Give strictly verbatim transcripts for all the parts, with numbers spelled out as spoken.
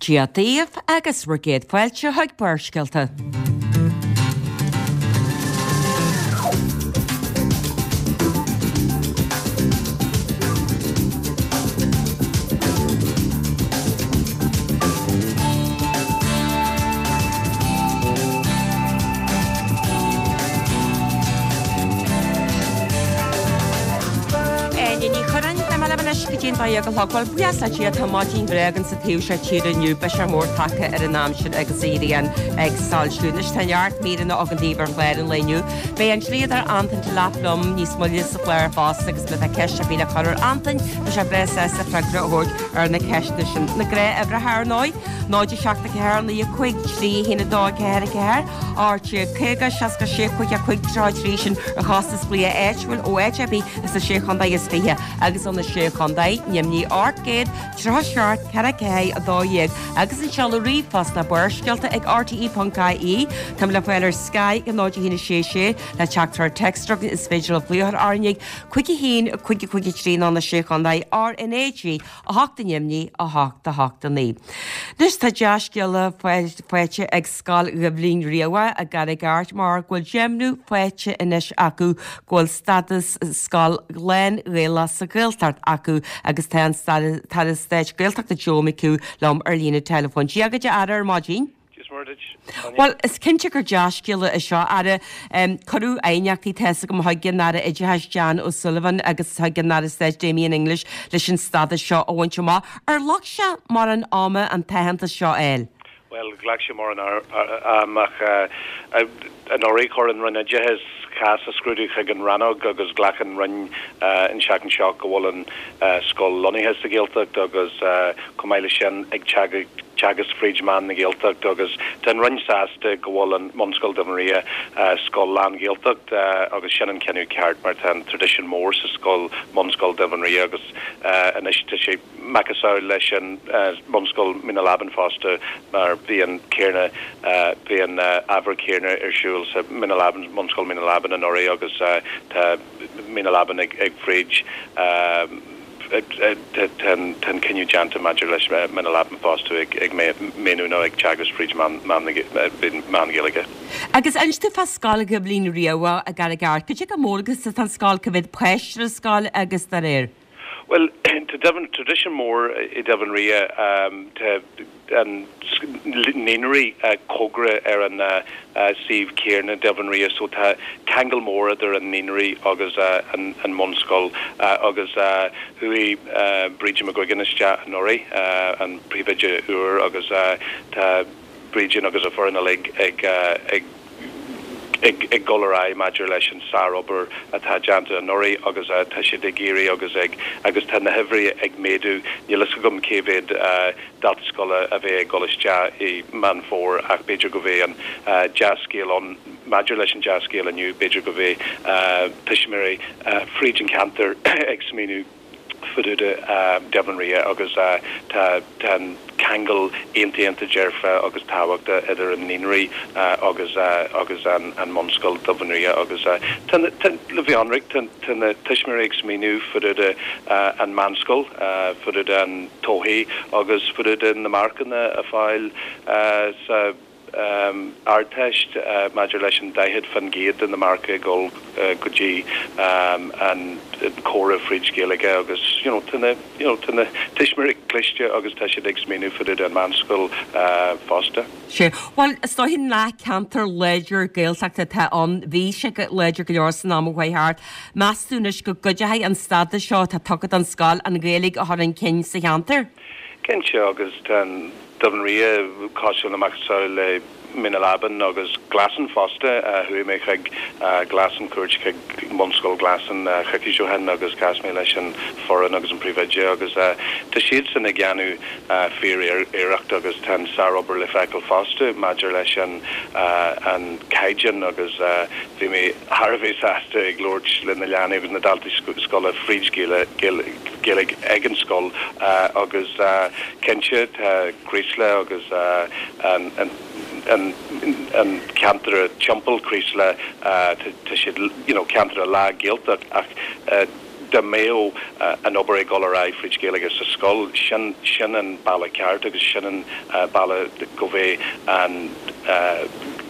Dia daoibh agus bhur gcéad fáilte chuig Barrscéalta. Áine Ní Churráin, Beidh mé libh anois go dtí an dó dhéag a chlog. Bhuel, buíochas le Dia, tá maidin bhreá againn sa taobh seo tíre inniu. Biseach mór tagtha ar an aimsir agus an ghrian ag soilsiú. Anois tá neart míreanna againn daoibh ar chlár an lae inniu. Beidh an dlíodóir Antain Delap liom níos moille sa chlár fosta agus má tá ceist ar bith le cur ar Antain, tá sé breá sásta freagra a thabhairt ar na ceisteanna sin. Na gnáthuimhreacha ar ndóigh, náid a seacht a ceathair naoi a cúig trí a haon a dó a ceathair a ceathair, ocht déag caoga seasca sé cúig a cúig tríocha a trí sin ar chostas glaoch áitiúil ó áit ar bith sna Sé Chontae is Fiche agus ó na Sé Chontae, ainmnigh ocht gcéad tríocha seacht ceithre ceathair a dó dhéag agus an seoladh ríomhphost ná Barrscéalta ag R T E ponc I E. Táim le fáil ar Sky ag náid a haon a sé sé le teachtaireacht téacs is féidir libh glaoch orainn ag cúig a haon cúig cúig a trí nó na Sé Chontae R N A G a hocht ainmnigh a hocht a hocht a naoi. Anois tá dea-scéala faighte ag Scoil Dhoibhlin Riabhach i gCarraig Airt mar go bhfuil deimhniú faighte anois acu go bhfuil stádas scoil lán-Ghaelach sa Ghaeltacht acu agus tá an tAire Stáit Gaeltachta Joe McHugh liom ar líne teileafóin. Dia dhuit a Aire ar maidin. Bhuel, is cinnte gur dea-scéala é seo, Aire. Cuireadh aighneachtaí tá a fhios agam chuig an Aire Oideachais Jan O'Sullivan agus chuig an Aire Stáit Damien English leis an stádas seo a bhaint amach. Ar ghlac sé mórán ama an t-aitheantas seo a fháil? Bhuel, ghlac sé mórán ama ach anuraidh chuir an Roinn Oideachais cás a scrúdú chuig an rannóg agus ghlac an Roinn an tseachtain seo go bhfuil an scoil lonnaithe sa Ghaeltacht agus chomh maith leis sin ag teagasc fríd mheán na Gaeltacht agus tá an Roinn sásta go bhfuil an Bunscoil Duibh Ria scoil lán-Ghaeltacht agus sin an cinneadh ceart mar tá an traidisiún mór sa scoil Bunscoil Duibh Ria agus anois tá sé macasamhail leis an Bunscoil Mín na Leaban fosta mar bhí an céarna bhí an ábhar céarna ar siúl sa Mín na Leaban Bunscoil Mín na Leaban anuraidh agus tá Mín na Leaban ag ag fríd tá an cinneadh déanta maidir leis Mín na Leaban fosta ag ag méanú nó ag teagasc fríd meán Gaeilge. Agus inis domh fá Scoil Dhoibhlin Riabhach i gCarraig Airt, cad é chomh mór agus atá an scoil cá mhéad páiste ar an scoil agus dá réir. Bhuel, tá deimhin traidisiún mór i Duibh Ria tá an naíonraí cóngarach ar an suíomh céarna Duibh Ria so tá ceangal mór idir an naíonraí agus an an mbunscoil agus chuaigh Brídín McGuigan isteach anuraidh an príomhoide úr agus tá Brídín agus a foireann uilig ag ag ag ag dul ar aghaidh maidir leis an sárobair atá déanta anuraidh agus tá siad ag iarraidh agus ag agus tá na huimhrí ag méadú. Níl a fhios agam cé mhéad dalta scoile a bheidh ag dul isteach i Meán Fómhair ach b'fhéidir go bheidh an dea-scéal ann maidir leis an dea-scéal inniu, b'fhéidir go bheidh tuismitheoirí fríd an ceantar ag smaoineamh fá dtaobh de Duibh Ria agus tá tá an ceangal iontach dearfa agus tábhachtach idir an naíonraí agus agus an an mbunscoil Duibh Ria agus tá tá le bheith ionraic tá tá na tuismitheoirí ag smaoineamh fá dtaobh de an meánscoil fá dtaobh de an todhchaí agus fá dtaobh de na marcanna a fáil sa Ardteist maidir leis an daichead faoin gcéad de na marca ag dul go dtí an comhrá fríd Ghaeilge agus you know tá na you know tá na tuismitheoirí cliste agus tá siad ag smaoineamh fá dtaobh den meánscoil fosta. Sea. Bhuel, is dóiche nach ceantar láidir Gaeltachta atá ann. Bhí sé láidir go leor san am a chuaigh thart. Meas tú anois go gcuideoidh an stádas seo atá tugtha don scoil an Ghaeilge a chur chun cinn sa cheantar? Cinnte, agus tá an Duibh Ria cosúil le macasamhail le Mín na Leaban agus Glasson fosta. Chuaigh mé chuig Glasson, cuairt chuig Bunscoil Glasson coicís ó shin agus chas mé leis an foireann agus an príomhoide agus tá siadsan ag déanamh fíor-iarracht agus tá an sárobair le feiceáil fosta maidir leis an an caighdeán agus bhí mé thar a bheith sásta ag labhairt le na leanaí agus na daltaí scoile fríd Ghaeilge ag an scoil agus cinnte tá Creeslough agus an an an ceantar timpeall Creeslough tá siad you know ceantar lán Gaeltacht ach dá mbeadh an obair ag dul ar aghaidh fríd Gaeilge sa scoil, sin sin an bealach ceart agus sin an bealach go mbeidh an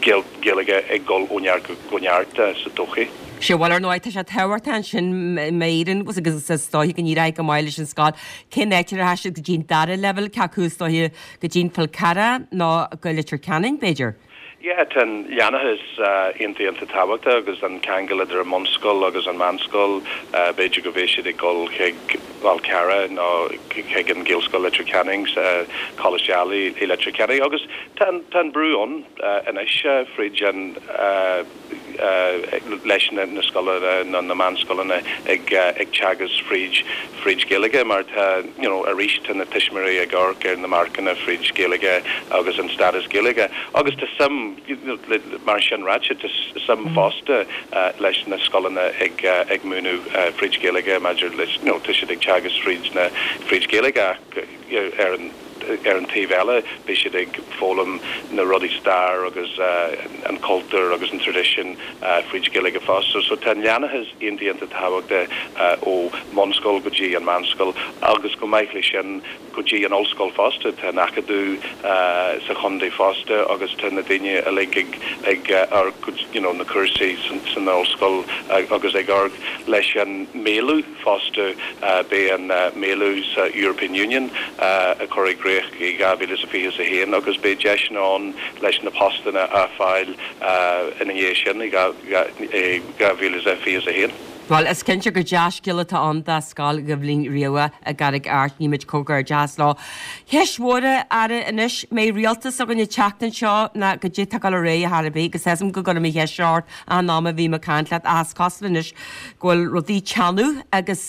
Gaeilge ag dul ó neart go neart sa todhchaí. Sea, bhuel ar ndóigh tá sé tábhachtach ansin m'éireann agus is dóiche go n-éireoidh go maith leis an scoil. Cén áit a rachaidh siad go dtí an dara leibhéal, cé acu is dóiche go dtí an Fál Carrach nó go Leitir Ceanainn b'fhéidir? Yeah, tá an leanúnachas iontach iontach tábhachtach agus an ceangal idir an mbunscoil agus an meánscoil, b'fhéidir go mbeidh siad ag dul chuig Fál Carrach nó chuig an Ghaelscoil Leitir Ceanainn, Coláiste Ailigh i Leitir Ceanainn agus tá tá an brú ann anois fríd an leis na na scoileanna nó na meánscoileanna ag ag teagasc fríd fríd Gaeilge mar tá you know arís tá na tuismitheoirí ag amharc ar na marcanna fríd Gaeilge agus an stádas Gaeilge agus tá suim mar sin ráite tá suim fosta leis na scoileanna ag ag múineadh fríd Gaeilge maidir leis you know tá siad ag teagasc fríd na fríd Gaeilge ar an ar an taobh eile beidh siad ag foghlaim na rudaí stair agus an cultúr agus an traidisiún fríd Gaeilge fosta. So tá an leanúnachas iontach iontach tábhachtach ó bhunscoil go dtí an meánscoil agus go maith leis sin go dtí an ollscoil fosta tá an Acadamh sa chontae fosta agus tá na daoine uilig ag ag amharc you know na cúrsaí san ollscoil agus ag amharc leis an maolú fosta beidh an maolú sa European Union a chur i gcrích i dhá mhíle is a fiche a haon agus beidh deiseanna ann leis na postanna a fháil ina dhiaidh sin i dhá mhíle is a fiche a haon. Bhuel, is cinnte gur dea-scéal atá ann do Scoil Dhoibhlín Riabhach i gCarraig Airt, guímid comhghairdeas leo. Ceist mhór, a Aire, anois, mbeidh rialtas againn an tseachtain seo ná goidé atá ag dul ar aghaidh ar chor ar bith, agus tá a fhios agam go gcuirim an cheist seo ort achan am a bhím ag caint leat, ach is cosúil anois go bhfuil rudaí ag teannadh agus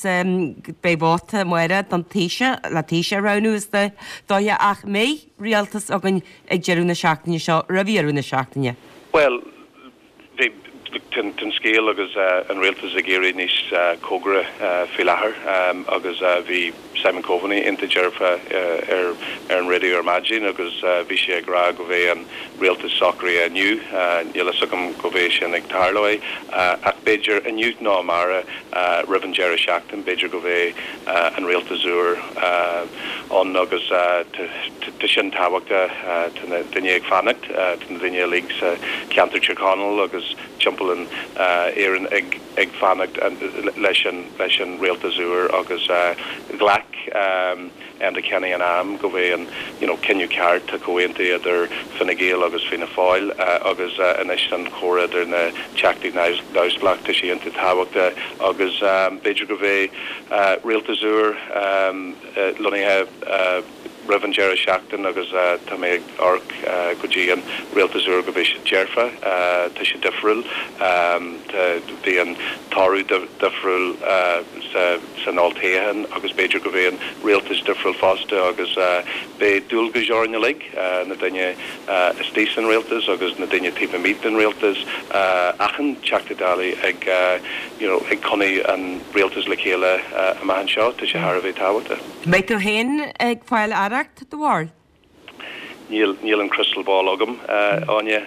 beidh vóta amárach don Taoiseach, le Taoiseach a roghnú is dóiche, ach mbeidh rialtas againn ag deireadh na seachtaine seo, roimh dheireadh na seachtaine? Bhuel, bhí tá an scéal agus an rialtas ag éirí níos cóngaraí faoi láthair agus bhí Simon Coveney iontach dearfa ar ar an raidió ar maidin agus bhí sé ag rá go mbeidh an rialtas socraithe inniu. Níl a fhios agam go mbeidh sin ag tarlú ach b'fhéidir inniu nó amárach roimh an deireadh seachtain b'fhéidir go mbeidh an rialtas úr ann agus tá sin tábhachtach tá na daoine ag fanacht tá na daoine uilig sa cheantar Tír Chonaill agus timpeall in Éirinn ag ag fanacht leis an leis an rialtas úr agus ghlac Enda Kenny in am go mbeidh an you know cinneadh ceart tá comhaontú idir Fine Gael agus Fianna Fáil agus anois an comhrá idir na teachtaí neamhspleách tá sé iontach tábhachtach agus b'fhéidir go mbeidh rialtas úr lonnaithe roimh an deireadh seachtain agus tá mé ag amharc go dtí an rialtas úr go mbeidh sé dearfa, tá sé difriúil, bhí an toradh difriúil san olltoghchán agus b'fhéidir go mbeidh an rialtas difriúil fosta agus beidh dualgas orainn uilig, na daoine istigh san rialtas agus na daoine taobh amuigh den rialtas, achan Teachta Dála ag you know ag coinneáil an rialtas le chéile amach anseo, tá sé thar a bheith tábhachtach. Mbeidh tú féin ag fáil aireacht, do bharúil? Níl níl an crystal ball agam, Áine.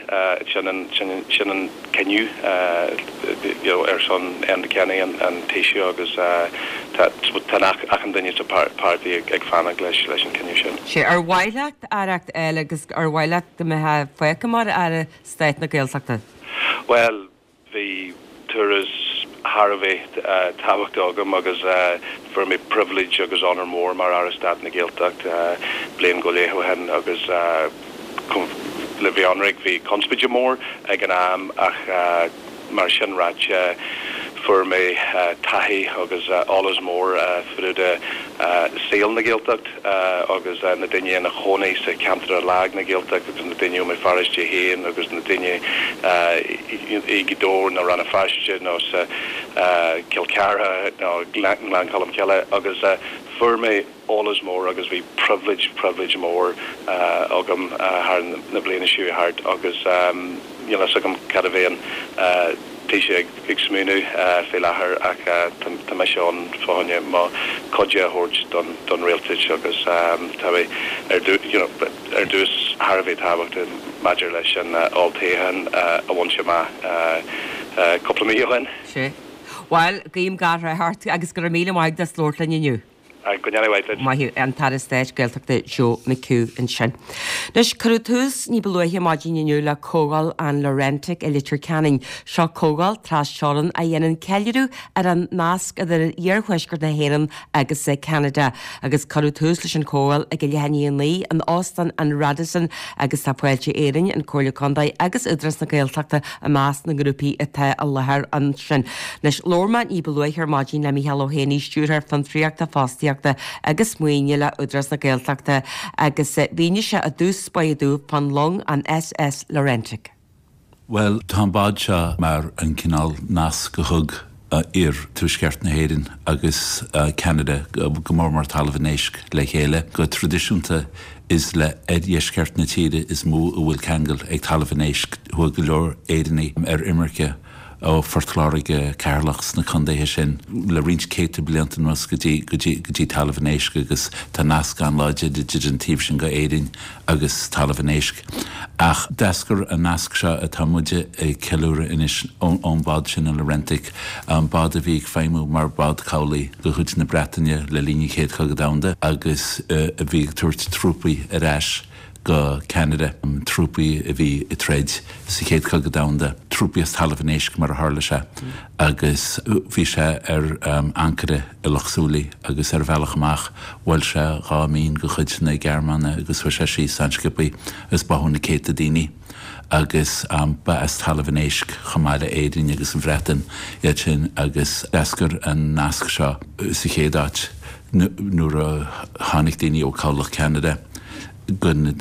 Sin an sin sin an cinneadh you know ar son Enda Kenny an an Taoiseach agus tá tá achan duine sa páirtí ag ag fanacht leis leis an cinneadh sin. Sea, ar mhaith leat aireacht eile agus ar mhaith leat go mbeifeá fágtha mar Aire Stáit na Gaeltachta? Bhuel, bhí turas thar a bheith tábhachtach agam agus fuair mé pribhléid agus onóir mór mar Aire Stáit na Gaeltacht bliain go leith ó shin agus le bheith ionraic bhí conspóid mór ag an am ach mar sin ráite fuair mé taithí agus eolas mór fá dtaobh de saol na Gaeltacht agus na daoine ina chónaí sa cheantar lag na Gaeltacht agus na daoine ó Bhéal Feirste féin agus na daoine i Gaoth Dobhair nó Rann na Feirste nó sa Cill Chartha nó Gleann Cholm Cille agus fuair mé eolas mór agus bhí pribhléid pribhléid mór agam thar na bliana seo thart agus níl a fhios agam cad a bheidh an Taoiseach ag smaoineamh faoi láthair ach tá mise ann fá choinne mo chuid a thabhairt don don rialtas agus tá mé ar you know ar dtús thar a bheith tábhachtach maidir leis an olltoghchán a bhaint amach cúpla mí ó shin. Sea. Bhuel, guím gach rath ort agus go raibh míle maith agat as labhairt linn inniu. Go ndéana mhaith duit. Maith thú, an tAire Stáit Gaeltachta Joe McHugh ansin. Anois, cuireadh tús ní ba luaithe maidin inniu le Comhdháil an Laurentic i Leitir Ceanainn. Seo comhdháil tras-teorann a dhéanann ceiliúradh ar an nasc idir iarthuaisceart na hÉireann agus Ceanada. Agus cuireadh tús leis an chomhdháil ag a leath i ndiaidh a naoi in Óstán an Radisson agus tá Fáilte Éireann, an Comhairle Contae agus Údarás na Gaeltachta i measc na ngrúpaí atá i láthair ansin. Anois, labhair mé ní ba luaithe ar maidin le Mícheál Ó hÉanaí, Stiúrthóir Fiontraíochta, Fostaíochta agus Maoine le Údarás na Gaeltachta agus mhínigh sé i dtús báire domh fán long an SS Laurentic. Bhuel, tá an bád seo mar an cineál nasc a thug iarthuaisceart na hÉireann agus Ceanada, go mór mór Talamh an Éisc, le chéile. Go traidisiúnta is le oirdheisceart na tíre is mó a bhfuil ceangal ag Talamh an Éisc. Chuaigh go leor Éireannaigh ar imirce ó Phort Láirge, Ceatharlach sna contaetha sin le roinnt céadta blianta anuas go dtí go dtí go dtí Talamh an Éisc agus tá nasc an-láidir idir an taobh sin go Éirinn agus Talamh an Éisc. Ach d'eascair an nasc seo atá muide ag ceiliúradh anois ón bhád sin an Laurentic, bád a bhí ag feidhmiú mar bhád cabhlaigh de chuid na Breataine le linn an Chéad Chogadh Domhanda agus a bhí ag tabhairt trúpaí ar ais go Ceanada, trúpaí a bhí ag troid sa Chéad Chogadh Domhanda, trúpaí as Talamh an Éisc mar a tharla sé, agus bhí sé ar ancaire i Loch Súilí agus ar a bhealach amach bhuail sé dhá mhín de chuid na Gearmáine agus chuaigh sé síos an-sciobtha agus báthadh na céadta daoine agus ba as Talamh an Éisc chomh maith le Éirinn agus an Bhreatain iad sin agus d'eascair an nasc seo sa chéad áit nuair a tháinig daoine ó Chabhlach Cheanada. gon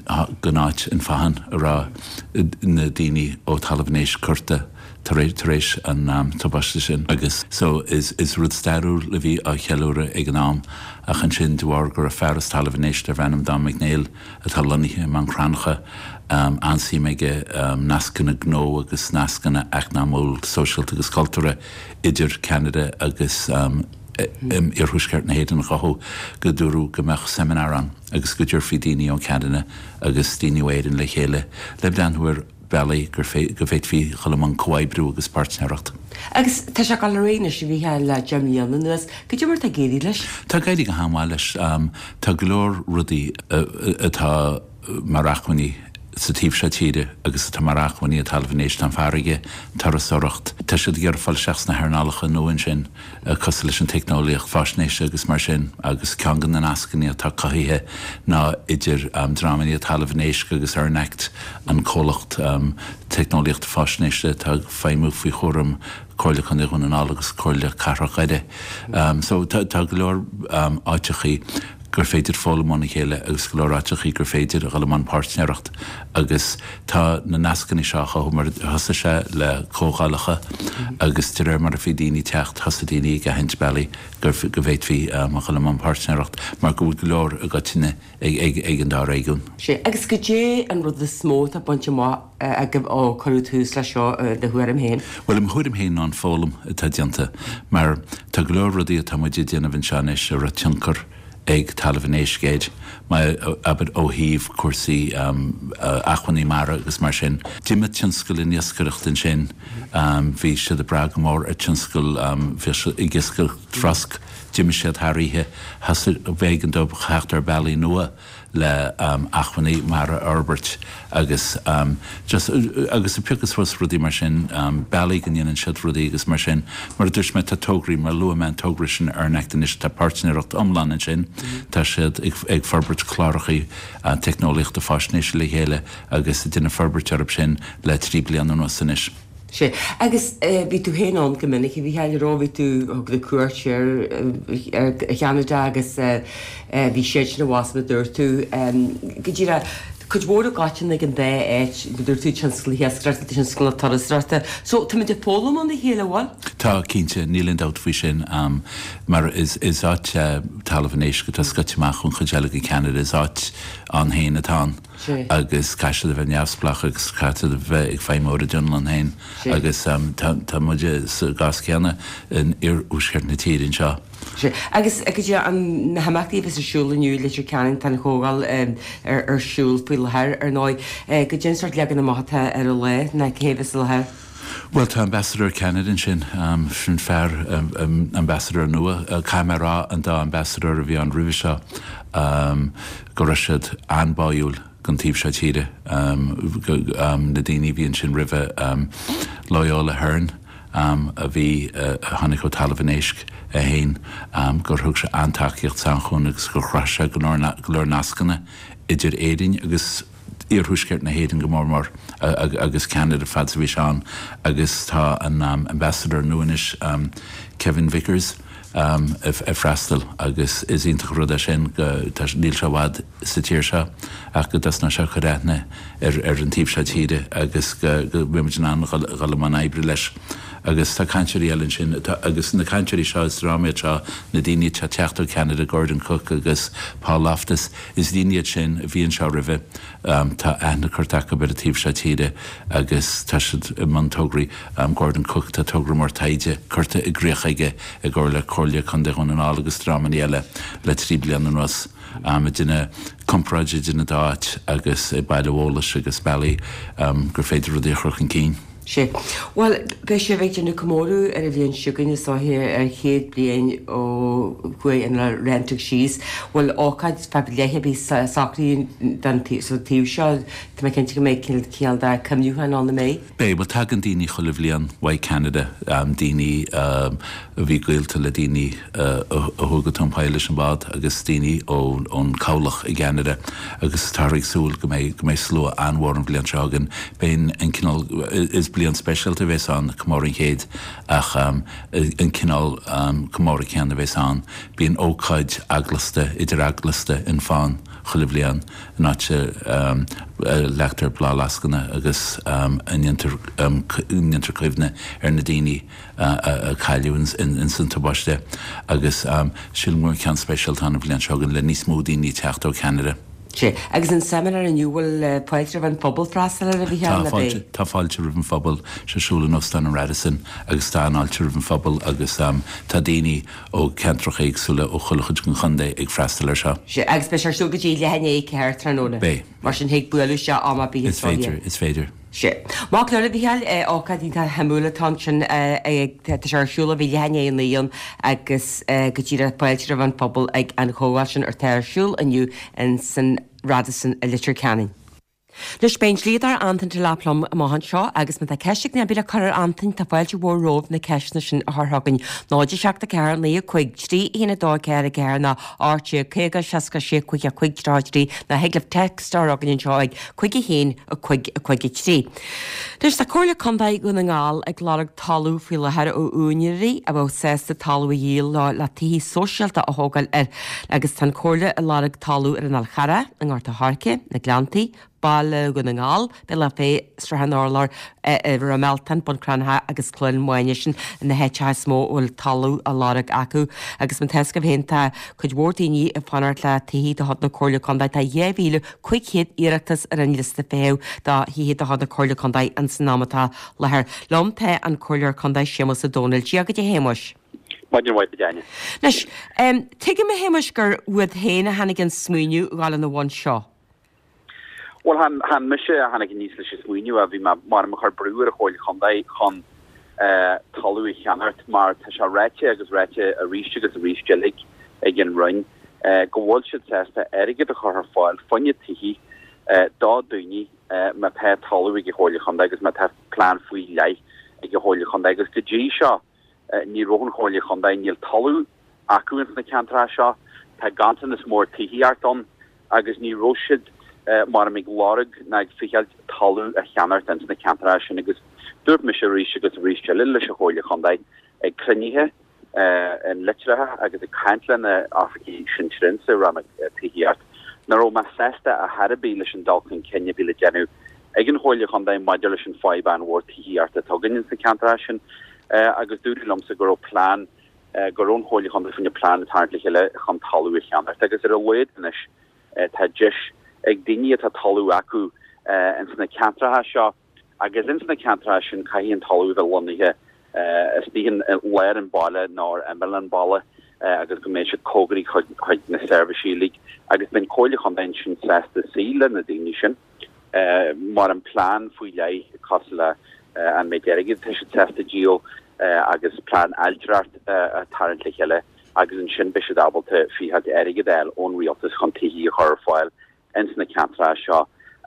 áit an Fathach a raibh na daoine ó Talamh an Éisc curtha tar éis an tubaiste sin agus so is is rud stairiúil a bhí á cheiliúradh ag an am ach ansin de bharr go raibh fear as Talamh an Éisc darbh ainm Don McNeill atá lonnaithe i Mám Cranncha an-suim aige nascanna gnó agus nascanna eacnamúil, sóisialta agus cultúrtha idir Ceanada agus iarthuaisceart na hÉireann a chothú, go dúradh go mbeadh seimineár ann agus go dtabharfaí daoine ó Cheanada agus daoine ó Éirinn le chéile le breathnú ar bealaí go bhféadfaí dhul i mbun comhoibriú agus páirtnéireacht. Agus tá sé ag dul ar aghaidh anois, a Mhícheáil, le deich mbliana anuas. Cad é mar atá ag éirí leis? Tá ag éirí go han-mhaith leis. Tá go leor rudaí atá mar acmhainní sa taobh seo tíre agus atá mar acmhainní i dTalamh an Éisc, tá an farraige, turasóireacht, tá siad ag iarraidh fáil isteach sna hearnálacha nua ansin, cosúil leis an teicneolaíocht faisnéise agus mar sin, agus ceann de na nascanna atá cothaithe ná idir dreamanna Talamh an Éisc agus ERNACT, an comhlacht teicneolaíochta faisnéise atá ag feidhmiú faoi chúram Comhairle Contae Dhún na nGall agus Comhairle Cathrach Dhoire. So tá go leor áiteachaí. gur féidir foghlaim óna chéile agus go leor áiteachaí gur féidir a dhul i mbun páirtnéireacht agus tá na nascanna seo á chothú mar thosaigh sé le comhdhálacha agus de réir mar a bhí daoine ag teacht thosaigh daoine ag aithint bealaí go bhféadfaí a dhul i mbun páirtnéireacht mar go bhfuil go leor i gcoitinne ag an dá réigiún. Sea, agus goidé an rud is mó atá bainte amach agaibh ó cuireadh tús leis seo i do thuairim féin? Bhuel, i mo thuairim féin ná an foghlaim atá déanta mar tá go leor rudaí atá muid ag déanamh anseo anois a raibh tionchar ag Talamh an Éisc air, mar, abair, ó thaobh cúrsaí acmhainní mara agus mar sin. D'imigh tionscal an iascaireacht ansin, bhí siad ag brath go mór ar tionscal, bhí siad ag iascaireacht trosc, d'imigh siad thar oíche, thosaigh, b'éigean dóibh theacht ar bealaí nua le acmhainní mara a fhorbairt agus just, agus ag piocadh suas rudaí mar sin, bealaí go ndéanann siad rudaí agus mar sin. Mar a dúirt mé, tá tograí, mar luaigh mé an togra sin ERNACT anois, tá páirtnéireacht iomlán ansin, tá siad ag forbairt clárachaí teicneolaíochta faisnéise le chéile agus ag déanamh forbairt orthu sin le trí bliana anuas anois. Sea. Agus bhí tú féin ann go minic, a Mhícheáil, an raibh? Bhí tú, thug tú cuairt ar Cheanada agus bhí siadsan abhus mar a dúirt tú. Go díreach, cuid mhór i gcoiteann ag an dá áit, go dúirt tú, tionscal na hiascaireachta, tionscal na turasóireachta. So, táimid ag foghlaim óna chéile, an bhfuil? Tá, cinnte, níl aon dabht faoi sin, mar is áit é Talamh an Éisc atá scoite amach ón chuid eile de Cheanada, is áit ann féin atá ann. agus caithfidh siad a bheith neamhspleách agus caithfidh siad a bheith ag feidhmiú ar a dtionlann féin agus tá muide sa gcás céanna in iarthuaisceart na tíre anseo. Sea. Agus goidé na himeachtaí a bheas ar siúl inniu i Leitir Ceanainn, tá an chomhdháil ar siúl faoi láthair ar ndóigh. Goidé an sórt leagan amach atá ar an lá, ná cé a bheas i láthair? Bhuel tá ambassador Canada ansin um, sin fear um, um, ambassador nua uh, caithfidh mé a rá an dá ambassador a bhí ann roimhe seo um, go raibh siad an-bháúil don taobh seo tíre um, go, um, na daoine bhí ansin roimhe um, Loyola Hearn um, a bhí uh, tháinig ó Talamh an Éisc a haon um, gur thug sé an-tacaíocht san agus gur chruthaigh sé go leor nascanna idir Éirinn agus iarthuaisceart na hÉireann go mór mór agus Canada fad a bhí sé ann agus tá an um, ambassador nua anois um, Kevin Vickers um, ag freastal agus is iontach rud é sin go níl sé i bhfad sa tír seo ach go dtosnóidh sé cur aithne ar ar an taobh seo tíre agus go mbeimid in ann dul i mbun oibre leis. agus tá cainteoirí eile sin agus na cainteoirí seo is drámaí seo na daoine atá ag teacht ó Canada Gordon Cook agus Paul Loftus is daoine iad sin a bhí anseo roimhe um, tá aithne curtha acu ar an taobh seo tíre agus tá siad i mbun tograí um, Gordon Cook tá togra mór taighde curtha i gcrích aige i gcomhar le Comhairle Contae Dhún na nGall agus dreamanna eile le trí bliana anuas. Um, déanamh comparáid idir na dá áit agus ag bailiú eolais agus bealaí um, gur féidir rudaí a chur chun cinn. Sé. Well, beidh sibh ag déanamh comóradh ar an bhliain seo chugainn is dóiche ar chéad bliain ó chuaigh an Laurentic síos. Bhfuil ócáid fá leith a bhí socraithe don taobh seo Tá mé cinnte go mbeidh cineál de cuimhneachán ann mé. Beidh bhuel tagann daoine chuile bhliain ó Canada um, daoine um, a bhí gaolta le daoine uh, a chuaigh go Tóin Poill leis an bád agus daoine ón cabhlach i gCanada agus tá ag súil go mbeidh go mbeidh slua an-mhór an bhliain seo chugainn Beidh an cineál is bliain speisialta a bheas ann comóradh an chéid ach um, an cineál um, comóradh céanna a bheas ann bíonn ócáid eaglasta idir eaglasta in fán chuile bhliain in áit um, leagtar bláthfhleascanna agus um, a ndéantar um, ndéantar cuimhne ar na daoine uh, a cailleadh in, in san tubaiste agus um, sílim gur ceann speisialta an bhliain seo chugainn le níos mó daoine teacht ó Canada. Sé agus an seimineár inniu bhfuil fáilte roimh an phobal freastal air a bhí le bé. Tá fáilte roimh an phobal ar siúl in Óstán an Radisson agus tá an fháilte roimh an phobal agus um, tá daoine ó cheantracha éagsúla ó chuile chuid den chontae ag freastal air seo. Sé agus beidh ar siúl go dtí leath i ndiaidh a ceathair tráthnóna. Beidh. Mar sin thig bualadh isteach am ar bith Is féidir, is féidir. Sé. Má le a bhíáil ócáid shuimiúil atá sin tá sé ar siúl ó bhí leath i ndiaidh a naoi ann agus go dtí fáilte roimh an phobal ag an chomhdháil sin atá ar siúl inniu in san Radisson i Leitir Ceanainn. Anois beidh an dlíodóir Antain Delap liom amach anseo agus má tá ceist ag duine ar bith le cur ar Antain tá fáilte mhór romhaibh na ceisteanna sin a chur chugainn. náid a seacht a ceathair naoi a cúig trí haon a dó ceathair a ceathair nó a hocht déag caoga seasca sé cúig a cúig tríocha trí nó thig libh text a chur chugainn anseo ag cúig a haon a cúig a cúig a trí. Anois tá Comhairle Contae Dhún na nGall ag lorg talamh faoi láthair ó úinéirí a bheadh sásta talamh a dhíol leo le tithe sóisialta a thógáil air agus tá an Chomhairle ag lorg talamh ar an Fhál Charrach, i nGort an Choirce, na Gleanntaí, Baile Dhún na nGall, Bealach Féich, Srath an Urláir, Ráth Mealtain, Bun Cranncha agus Cluain Mháine sin na háiteacha is mó a bhfuil talamh á lorg acu. Agus mar atá a fhios agaibh féin tá cuid mhór daoine ag fanacht le tithe de chuid na Comhairle Contae tá dhá mhíle cúig chéad iarratas ar an liosta feithimh do thithe de chuid na Comhairle Contae ins an am atá i láthair. Liom tá an Comhairleoir Contae Séamus Ó Domhnaill. Dia dhuit a Shéamuis. Maidin mhaith a Áine. Anois, tuigim a Shéamuis gur uait féin a tháinig an smaoineamh a ghabháil ina bhun seo. Well chan chan mise a tháinig aníos leis an smaoineamh a bhí mar mar ag cur brú ar an Chomhairle Chontae chun talamh a cheannacht mar tá sé ráite agus ráite arís agus arís eile ag an Roinn go bhfuil siad sásta airgead a chur ar fáil fá choinne tithe do dhaoine má tá talamh ag an Chomhairle Chontae agus má tá plean faoi leith ag an Chomhairle Chontae agus go dtí seo ní raibh an Chomhairle Chontae níl talamh acu ins na ceantracha seo tá ganntanas mór tithíocht ann agus ní raibh siad mar ag lorg ná ag fichailt talamh a cheannacht ins na ceantracha sin agus dúirt mise arís agus arís eile leis an Chomhairle Chontae ag cruinnithe in litreacha agus ag caint le na oifigigh sinsearacha sa rannóg tithíocht nach raibh mé sásta ar chor ar bith leis an dul chun cinn a bhí le déanamh ag an Chomhairle Chontae maidir leis an fadhb an-mhór tithíocht atá againn ins na ceantracha sin agus dúradh liomsa go raibh plean go raibh an Chomhairle Chontae faoina plean ag tarraingt le chéile chun talamh a cheannacht agus ar a laghad anois tá deis ag daoine atá talamh acu ins na ceantracha seo agus ins na ceantracha sin caithfidh an talamh bheith lonnaithe istigh in lár an bhaile nó ar imeall an bhaile agus go mbeidh siad cóngarach chuig na seirbhísí uilig agus beidh an Chomhairle Chontae ansin sásta suí le na daoine sin mar an plean faoi leith cosúil le an méid airgid atá siad sásta díol agus plean ailtireacht a tharraingt le chéile agus ansin beidh siad ábalta fichead airgead a fháil ón rialtas chun tithí a chur ar fáil ins na ceantracha seo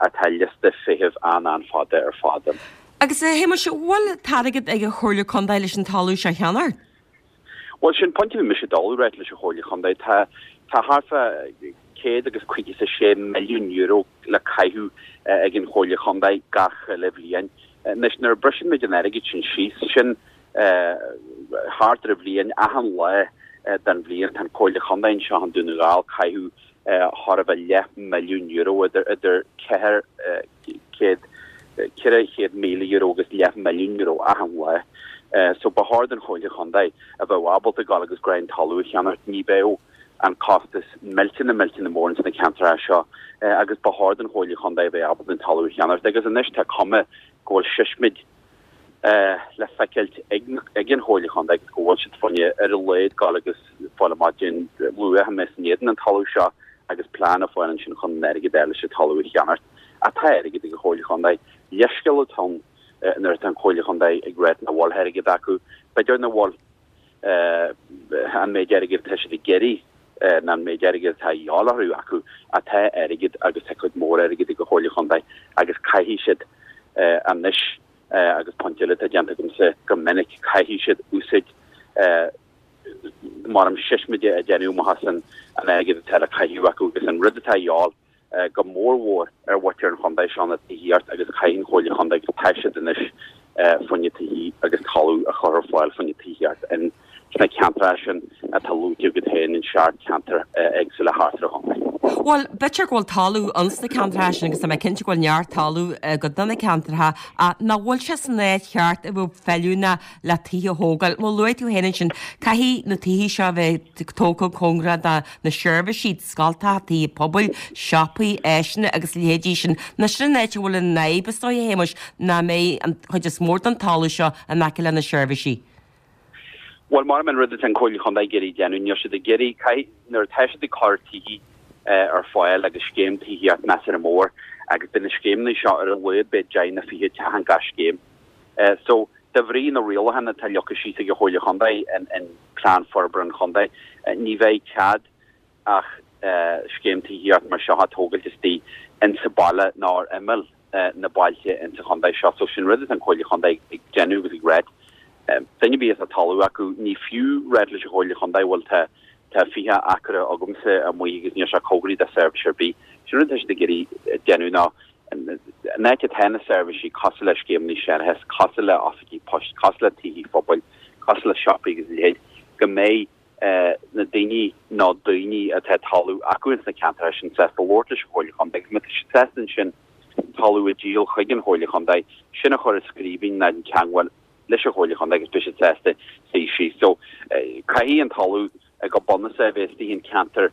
atá liosta feithimh an-an-fhada ar fad ann. Agus a Shéamais, an bhfuil an t-airgead ag an Chomhairle Contae leis an talamh seo a cheannacht? Bhuel, sin pointe a bhí mise ag dul a ráit leis an Chomhairle Chontae. Tá tá thart fá céad agus caoga is a sé milliún euro le caitheamh ag an Chomhairle Chontae gach uile bhliain. Anois, nuair a briseann muid an airgead sin síos, sin thart ar an bhliain, achan lá den bhliain, tá an Chomhairle Chontae anseo i nDún na nGall caitheamh thart fá leath milliún euro, idir idir ceathair céad ceithre chéad míle euro agus leath milliún euro achan lá. So ba chóir don Chomhairle Chontae a bheith ábalta dul agus greim talamh a cheannacht, ní bheadh an costas millteanach millteanach mór ins na ceantracha seo agus ba chóir don Chomhairle Chontae a bheith ábalta an talamh a cheannacht agus anois tá cuma go bhfuil seismid le feiceáilt ag an Chomhairle Chontae agus go bhfuil siad fá choinne ar a laghad dul agus fáil amach cén luach a mbeas in éadan an talamh seo agus plean a fháil ansin chun an airgead a fháil leis an talamh a cheannacht. Ach tá airgead ag an Chomhairle Chontae. Leithscéal atá ann nuair atá an Chomhairle Chontae ag ráit nach bhfuil airgead acu. B'fhéidir nach bhfuil an méid airgid atá siad ag iarraidh ná an méid airgid atá a dhíobháil orthu acu ach tá airgead agus tá cuid mhór airgid ag an Chomhairle Chontae agus caithfidh siad anois agus pointe eile atá déanta agamsa go minic, caithfidh siad úsáid mar am seismide a déanamh amach as an airgead atá le caitheamh acu agus an rud atá a dhíobháil go mórmhór ar mhuintir an chontae seo ná tithíocht agus caithfidh an Chomhairle Chontae agus tá siad anois fá choinne tithí agus talamh a chur ar fáil fá choinne tithíocht in sna ceantracha sin atá luaite agat féin in seacht ceantar éagsúla thart ar an chontae. Bhuel, b'fhéidir go bhfuil talamh ins na ceantracha sin agus tá mé cinnte go bhfuil neart talamh i gcuid de na ceantracha ach nach bhfuil sé san áit cheart a bheadh feiliúnach le tithe a thógáil. Mar luaigh tú féin ansin, caithfidh na tithe seo a bheith tógtha cóngarach do na seirbhísí, scoltacha, tithe pobail, siopaí, áiseanna agus a leithéidí sin. Nó sin an áit a bhfuil an fhadhb is dóigh, a Shéamais, nach mbeidh an chuid is mó den talamh seo in aice le na seirbhísí. Bhuel, mar an rud atá an Chomhairle Chontae ag iarraidh déanamh, níl siad ag iarraidh, caithfidh, nuair atá siad ag cur tithí ar fáil agus scéim tithíocht measartha mór agus beidh na scéimeanna seo ar a laghad beidh deich nó fiche teach in gach scéim. So, de bhrí na rialacháin atá leagtha síos ag an Chomhairle Chontae in Plean Forbartha an Chontae, ní bheidh cead ach scéim tithíocht mar seo a tógailt istigh insa baile ná ar imeall na bailte insa chontae seo. So sin rud atá an Chomhairle Chontae ag déanamh agus ag ráit. Duine ar bith atá talamh acu, ní fiú ráit leis an Chomhairle Chontae bhuel tá tá fiche acra agamsa amuigh agus níl sé cóngarach do seirbhís ar bith. Sin rud atá siad ag iarraidh déanamh ná an áit atá na seirbhísí cosúil le scéimeanna séarachais, cosúil le oifigí poist, cosúil le tithí phobail, cosúil le siopaí agus a leithéid, go mbeidh na daoine nó daoine atá talamh acu ins na ceantracha sin sásta labhairt leis an Chomhairle Chontae agus má tá siad sásta ansin talamh a dhíol chuig an Chomhairle Chontae, sin a chur i scríbhinn ná déan teagmháil leis an Chomhairle Chontae agus beidh siad sásta suí síos. So caithfidh an talamh go bunúsach a bheith istigh in ceantar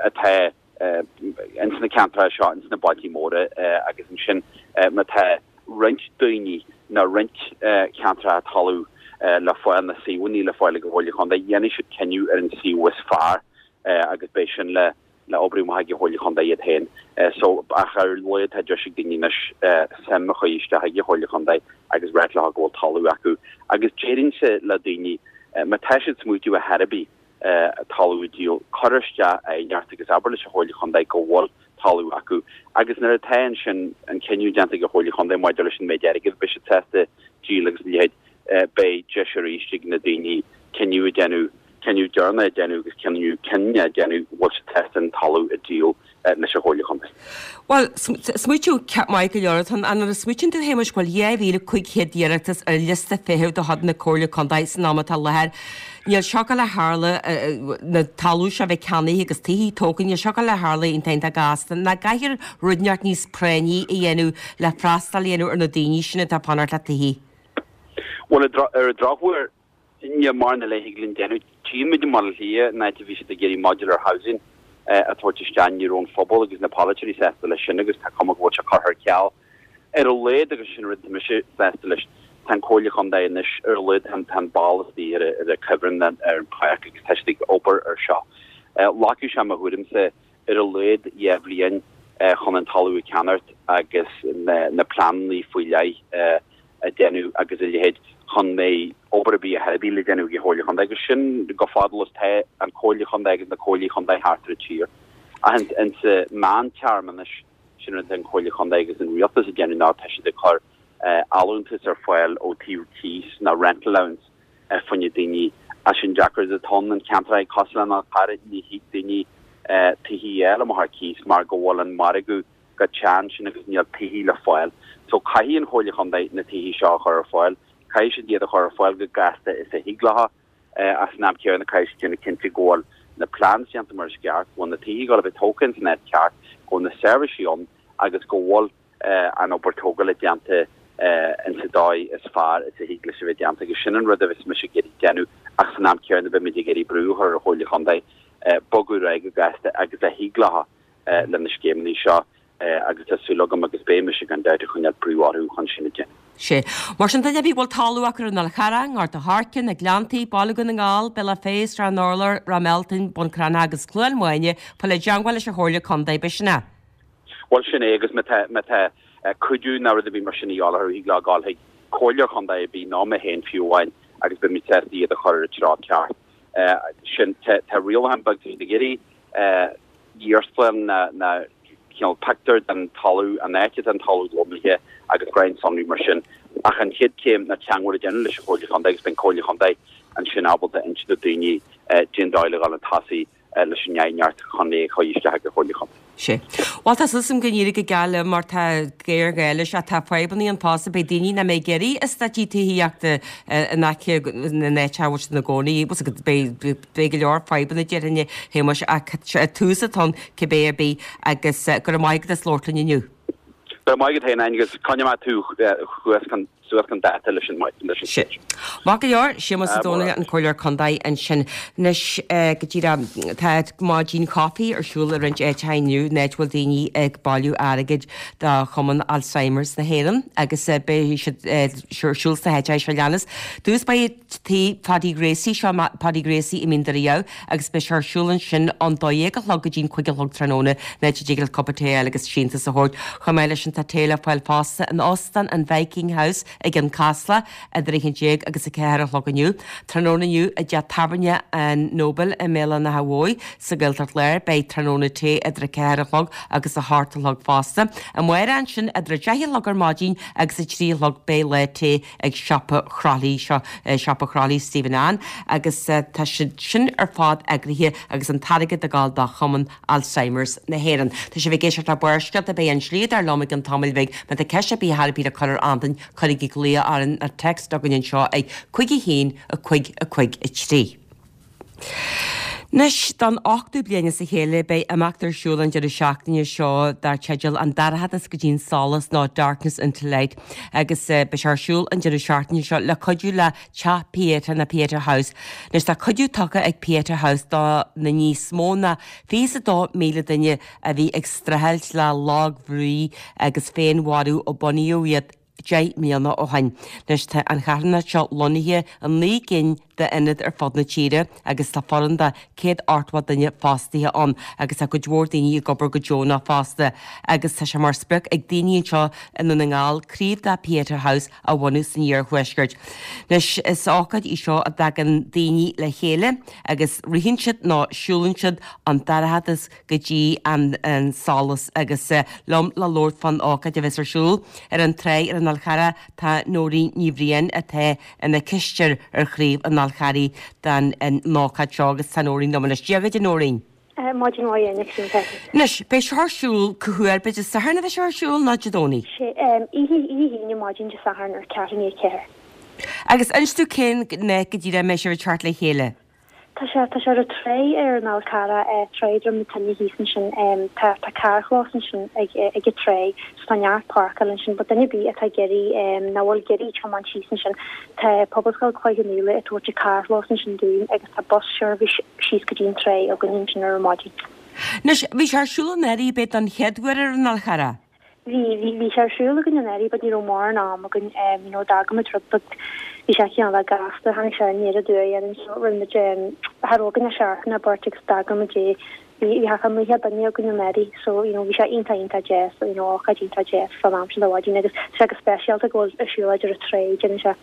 atá ins na ceantracha seo, ins na bailtí móra agus ansin má tá roinnt daoine nó roinnt ceantracha talamh le fáil, na suíomhanna le fáil ag an Chomhairle Chontae, dhéanfaidh siad cinneadh ar an suíomh is fearr agus beidh sin le le oibriú amach ag an Chomhairle Chontae iad féin. So ach ar a laghad tá deis ag daoine anois suim a chur isteach ag an Chomhairle Chontae agus ráit leo go bhfuil talamh acu. Agus déarfainnse le daoine, má tá siad ag smaoitiú ar chor ar bith talamh a dhíol, cuir isteach aighneacht agus abair leis an Chomhairle Chontae go bhfuil talamh acu. Agus nuair atá ansin an cinneadh déanta ag an Chomhairle Chontae maidir leis an méid airgid a bheidh siad sásta díol agus a leithéid, beidh deis arís ag na daoine cinneadh a dhéanamh, cinneadh deireanach a dhéanamh agus cinneadh cinneadh a dhéanamh bhfuil siad sásta an talamh a dhíol leis an Chomhairle Chontae. Bhuel, smaoitiú maith go leor atá ann. Nuair a smaoitíonn tú, a Shéamais, go bhfuil dhá mhíle cúig chéad iarratas ar liosta feithimh de chuid na Comhairle Contae san am atá i láthair, níl seo ag gabháil a tharlú, na talamh seo a bheith ceannaithe agus tithí tógtha, níl seo ag gabháil a tharlú iontach iontach gasta. Nach gcaithfear rud inteacht níos práinní a dhéanamh le freastal a dhéanamh ar na daoine sin atá ag fanacht le tithí? Bhuel, ar an drochuair, níl mórán eile a thig linn déanamh. Tchíonn muid i mBaile Átha Cliath, an áit a bhí siad ag iarraidh modular housing a thabhairt isteach, ní raibh an phobal agus na polaiteoirí sásta leis sin agus tá cuma go bhfuil sé curtha ar ceal. Ar a laghad, agus sin rud atá mise sásta leis, tá an Comhairle Chontae anois, ar a laghad tá an ball istigh ar an cuibhreann ar an pháirc agus tá siad ag obair ar seo. Ghlacfadh sé, mo thuairimse, ar a laghad dhá bhliain chun an talamh a cheannacht agus na, na pleananna faoi leith a dhéanamh agus a leithéid chun mé obair a bhí a herbí le déanamh ag Comhairle Chontae agus sin go fadal is tá an Chomhairle Chontae agus na comhairlí chontae thart ar an tír. Ach in sa mheántéarma anois sin rud an Chomhairle Chontae agus an rialtas a dhéanamh ná tá siad ag cur allúntas ar fáil ó taobh cíos ná rent allowance fá choinne daoine as sin deacair atá an ceantar cosúil le An Fhál Carrach ní thig daoine tithe eile amach ar cíos mar go bhfuil an margadh go teann sin agus níl tithe le fáil. So caithfidh an Chomhairle Chontae na tithe seo a chur ar fáil, caithfidh siad iad a chur ar fáil go gasta is a thig leo ach san am céanna caithfidh siad déanamh cinnte go bhfuil na plans déanta mar is ceart, go bhfuil na tithe go bheith tógtha san áit ceart, go bhfuil na seirbhísí ann agus go bhfuil an obair tógála déanta in sa dóigh is fearr is a thig leis a bheith déanta agus sin an rud a bheas mise ag iarraidh déanamh ach san am céanna beimid ag iarraidh brú a chur ar an Chomhairle Chontae bogadh ar aghaidh go gasta agus a thig leo le na scéimeanna seo agus tá súil agam agus beidh mise gan dabht ag coinneáil brú orthu chun sin a dhéanamh. Sé. Mar sin duine ar bith a bhfuil talamh acu ar an Fhál Charrach, Gort a' Choirce, na Gleanntaí, Baile Dhún na nGall, Bealach Féich, Srath an Urláir, Ráth Mealtain, Bun Cranncha agus Cluain Mháine, fáil i dteangmháil leis an Chomhairle Contae, b'shin é. Bhuel sin é agus má tá má tá cuidiú nó rud ar bith mar sin a dhíobháil orthu thig leo gabháil chuig comhairleoir chontae ar bith nó mé féin fiú amháin agus beimid sásta iad a chur ar an treo ceart. Sin tá rialachán beag tá siad ag iarraidh iarsmalann na na cineál pictiúr den talamh an áit atá an talamh lonnaithe agus roinnt sonraí mar sin. Ach an chéad chéim ná teagmháil a dhéanamh leis an Chomhairle Chontae agus beidh an Comhairle Chontae ansin ábalta inse do daoine cén dóigh le dhul chun tosaigh leis an aighneacht chun é a chur isteach ag an Chomhairle Chontae. Sé. Bhuel tá súil agam go n-éireoidh go geal leo mar tá géarghá leis ach tá fadhbanna ann fosta beidh daoine nach mbeidh ag iarraidh eastáití tithíochta in aice na n-áit a bhfuil siad ina gcónaí beidh beidh go leor fadhbanna déarfainn a Shéamais ach tús atá ann cibé ar bith agus go raibh maith agat as labhairt linn inniu. Go raibh maith agat féin Áine agus coinneoidh mé tú thuas chun suas chun dáta leis an leis an Sin. Maith go leor, Séamus Ó Dónaill, an Comhairleoir Contae ansin. Anois go díreach tá maidin chaife ar siúl i roinnt áiteacha inniu, in áit a bhfuil daoine ag bailiú airgid do Chumann Alzheimer's na hÉireann agus beidh siad ar siúl sna háiteacha seo leanas. Dtús beidh Tigh Phaddy Gracie, seo Paddy Gracie i Mín Doire Dhamh agus beidh sé ar siúl ansin ón dó dhéag a chlog go dtí'n cúig a chlog tráthnóna, in áit a dtig leat cupa tae a fháil agus síntiús a thabhairt. Chomh maith leis sin tá tae le fáil fosta in Óstán an Viking House i gCionn Caslach idir a haon déag agus a ceathair a chlog inniu. Tráthnóna inniu i dteach tábhairne an Nobel i mBéal an Átha Bhuí sa Ghaeltacht Láir beidh tráthnóna tae idir a ceathair a chlog agus a hocht a chlog fosta. Amárach ansin idir a deich a chlog ar maidin agus a trí a chlog beidh lá tae ag siopa Chroithlí, seo siopa Chroithlí Stephen Ann agus tá siad sin ar fad eagraithe agus an t-airgead ag dul do Chumann Alzheimer's na hÉireann. Tá sibh ag éisteacht le Barrscéalta, beidh an Slíodóir liom i gcionn tamaill bhig. Má tá ceist ar bith ar bith le cur ar Antain, cuirigí glaoch orainn nó text chugainn anseo ag cúig a haon, a cúig, a cúig, a trí. Anois, don ochtú bliain as a chéile, beidh imeacht ar siúl an deireadh seachtaine seo dar teideal An Dorchadas go dtí an Solas nó Darkness into Light agus beidh sé ar siúl an deireadh seachtaine seo le cuidiú le Teach Pieta nó Pieta House. Anois tá cuidiú tugtha ag Pieta House do na níos mó ná fiche is a dó míle duine a bhí ag streachailt le lagbhrí agus féinmharú ó bunaíodh iad deich mbliana ó shin. Anois tá an charthanacht seo lonnaithe i naoi gcinn d'ionaid ar fud na tíre agus tá foireann de céad ochtó duine fostaithe ann agus tá cuid mhór daoine ag obair go deonach fosta agus tá sé mar sprioc ag daoine anseo i nDún na nGall craobh de Pieta House a bhunú san iarthuaisceart. Anois is ócáid í seo a dtagann daoine le chéile agus ritheann siad nó siúlann siad an dorchadas go dtí an solas agus liom le labhairt fán ócáid a bheas ar siúl ar an tráigh ar an Fhál Charrach tá Nóirín Ní Bhriain atá ina cisteoir ar chraobh an Fhál Charraigh don ócáid seo agus tá Nóirín liom anois. Dia dhuit a Nóirín. Maidin mhaith a Áine, conas tá tú? Anois, beidh seo ar siúl cá huair, beidh Dé Sathairn a bheidh seo ar siúl nó Dé Domhnaigh? Sé, oíche, oíche hAoine maidin Dé Sathairn ar ceathrú i ndiaidh a ceathair. Agus inis dúinn cén áit go díreach a mbeidh sibh ag teacht le chéile? Tá sé, tá sé ar an tráigh ar an Fhál Carrach, tráigh Droim na Toinne thíos ansin. Tá, tá carrchlós ansin ag, ag an tráigh so tá neart páirceáil ansin but duine ar bith atá ag iarraidh, nach bhfuil ag iarraidh tiomáint síos ansin, tá Pobalscoil Chloich Cheann Fhaola ag tabhairt an carrchlós ansin dúinn agus tá bus seirbhís síos go dtí an tráigh againn ansin ar an maidin. Anois, bhí sé ar siúl anuraidh, b'é don chéad uair ar an Fhál Charrach? Bhí, bhí, bhí sé ar siúl againn anuraidh but ní raibh mórán am againn, em, you know, d'fhág muid rud beag, bhí sé cineál gasta, tháinig sé aniar aduaidh orainn so rinne muid, em, cha raibh againn ach seachtain ná beirt agus d'eagraigh muid é Bhí bhí thart fá naocha duine againn anuraidh so you know bhí sé iontach iontach deas you know ócáid iontach deas fán am sin de mhaidin agus tá sé go speisialta go bhfuil ar siúlóid ar an trá déanann sé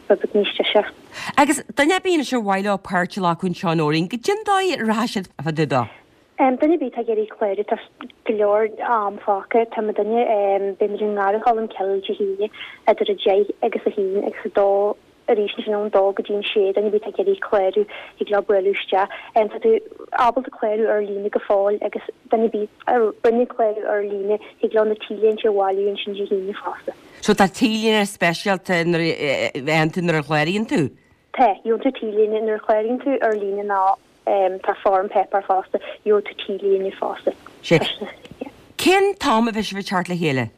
rud beag níos deise. Agus duine ar bith anois ar mhaith leo páirt a ghlacadh anseo Nóirín, goidé an dóigh a rachaidh siad fá dtaobh dó? Um, duine ar bith atá ag iarraidh clárú tá go leor am fágtha tá mo duine um, beidh muid i nGarradh Cholm Cille Dé hAoine idir a deich agus a haon agus a dó arís ansin ón dó go dtí an sé duine ar bith atá ag iarraidh clárú thig leo bualadh isteach. Um, tá tú ábalta clárú ar líne go fóill agus duine ar bith a rinne clárú ar líne thig leo na T-léinte a bhailiú ansin Dé hAoine fosta. So tá T-léine speisialta nuair a bheann tú nuair a chláraíonn tú? Tá, gheobhaidh tú T-léine nuair a chláraíonn tú ar líne ná um, tá form paper fosta, gheobhaidh tú T-léine fosta. Sé. Cén t-am a bheidh sibh ag teacht le chéile?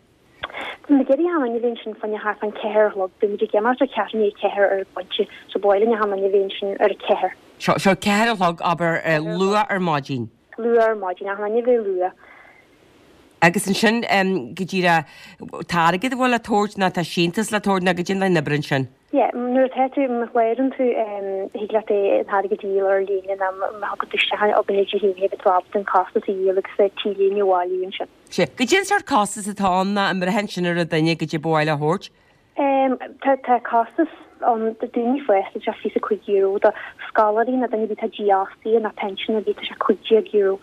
Tá muid ag iarraidh achan duine a bheith ansin fá choinne thart fán ceathair a chlog, beidh muid ag imeacht ar ceathrú i ndiaidh a ceathair ar an bpointe, so ba mhaith linn achan duine a bheith ansin ar a ceathair. Seo seo ceathair a chlog, abair, luath ar maidin. Luath ar maidin, achan duine a bheith luath. Agus ansin go díreach, tá airgead a bhfuil le tabhairt nó tá síntiús le tabhairt nó goidé an obair ansin? Yeah, nuair atá tú, má chlárann tú, thig leat é an t-airgead a dhíol ar líne nó má thagann tú isteach chugainne Dé hAoine beidh tú ábalta an costas a dhíol agus T-léine a bhailiú ansin. Sea. Goidé an sórt costas atá ann ná an mbraitheann sin ar an duine goidé ba mhaith leo a thabhairt? Tá tá costas ann do daoine fásta, tá sé fiche cúig euro, do scoláirí nó duine ar bith atá dífhostaithe nó pinsean ar bith tá sé cúig déag euro.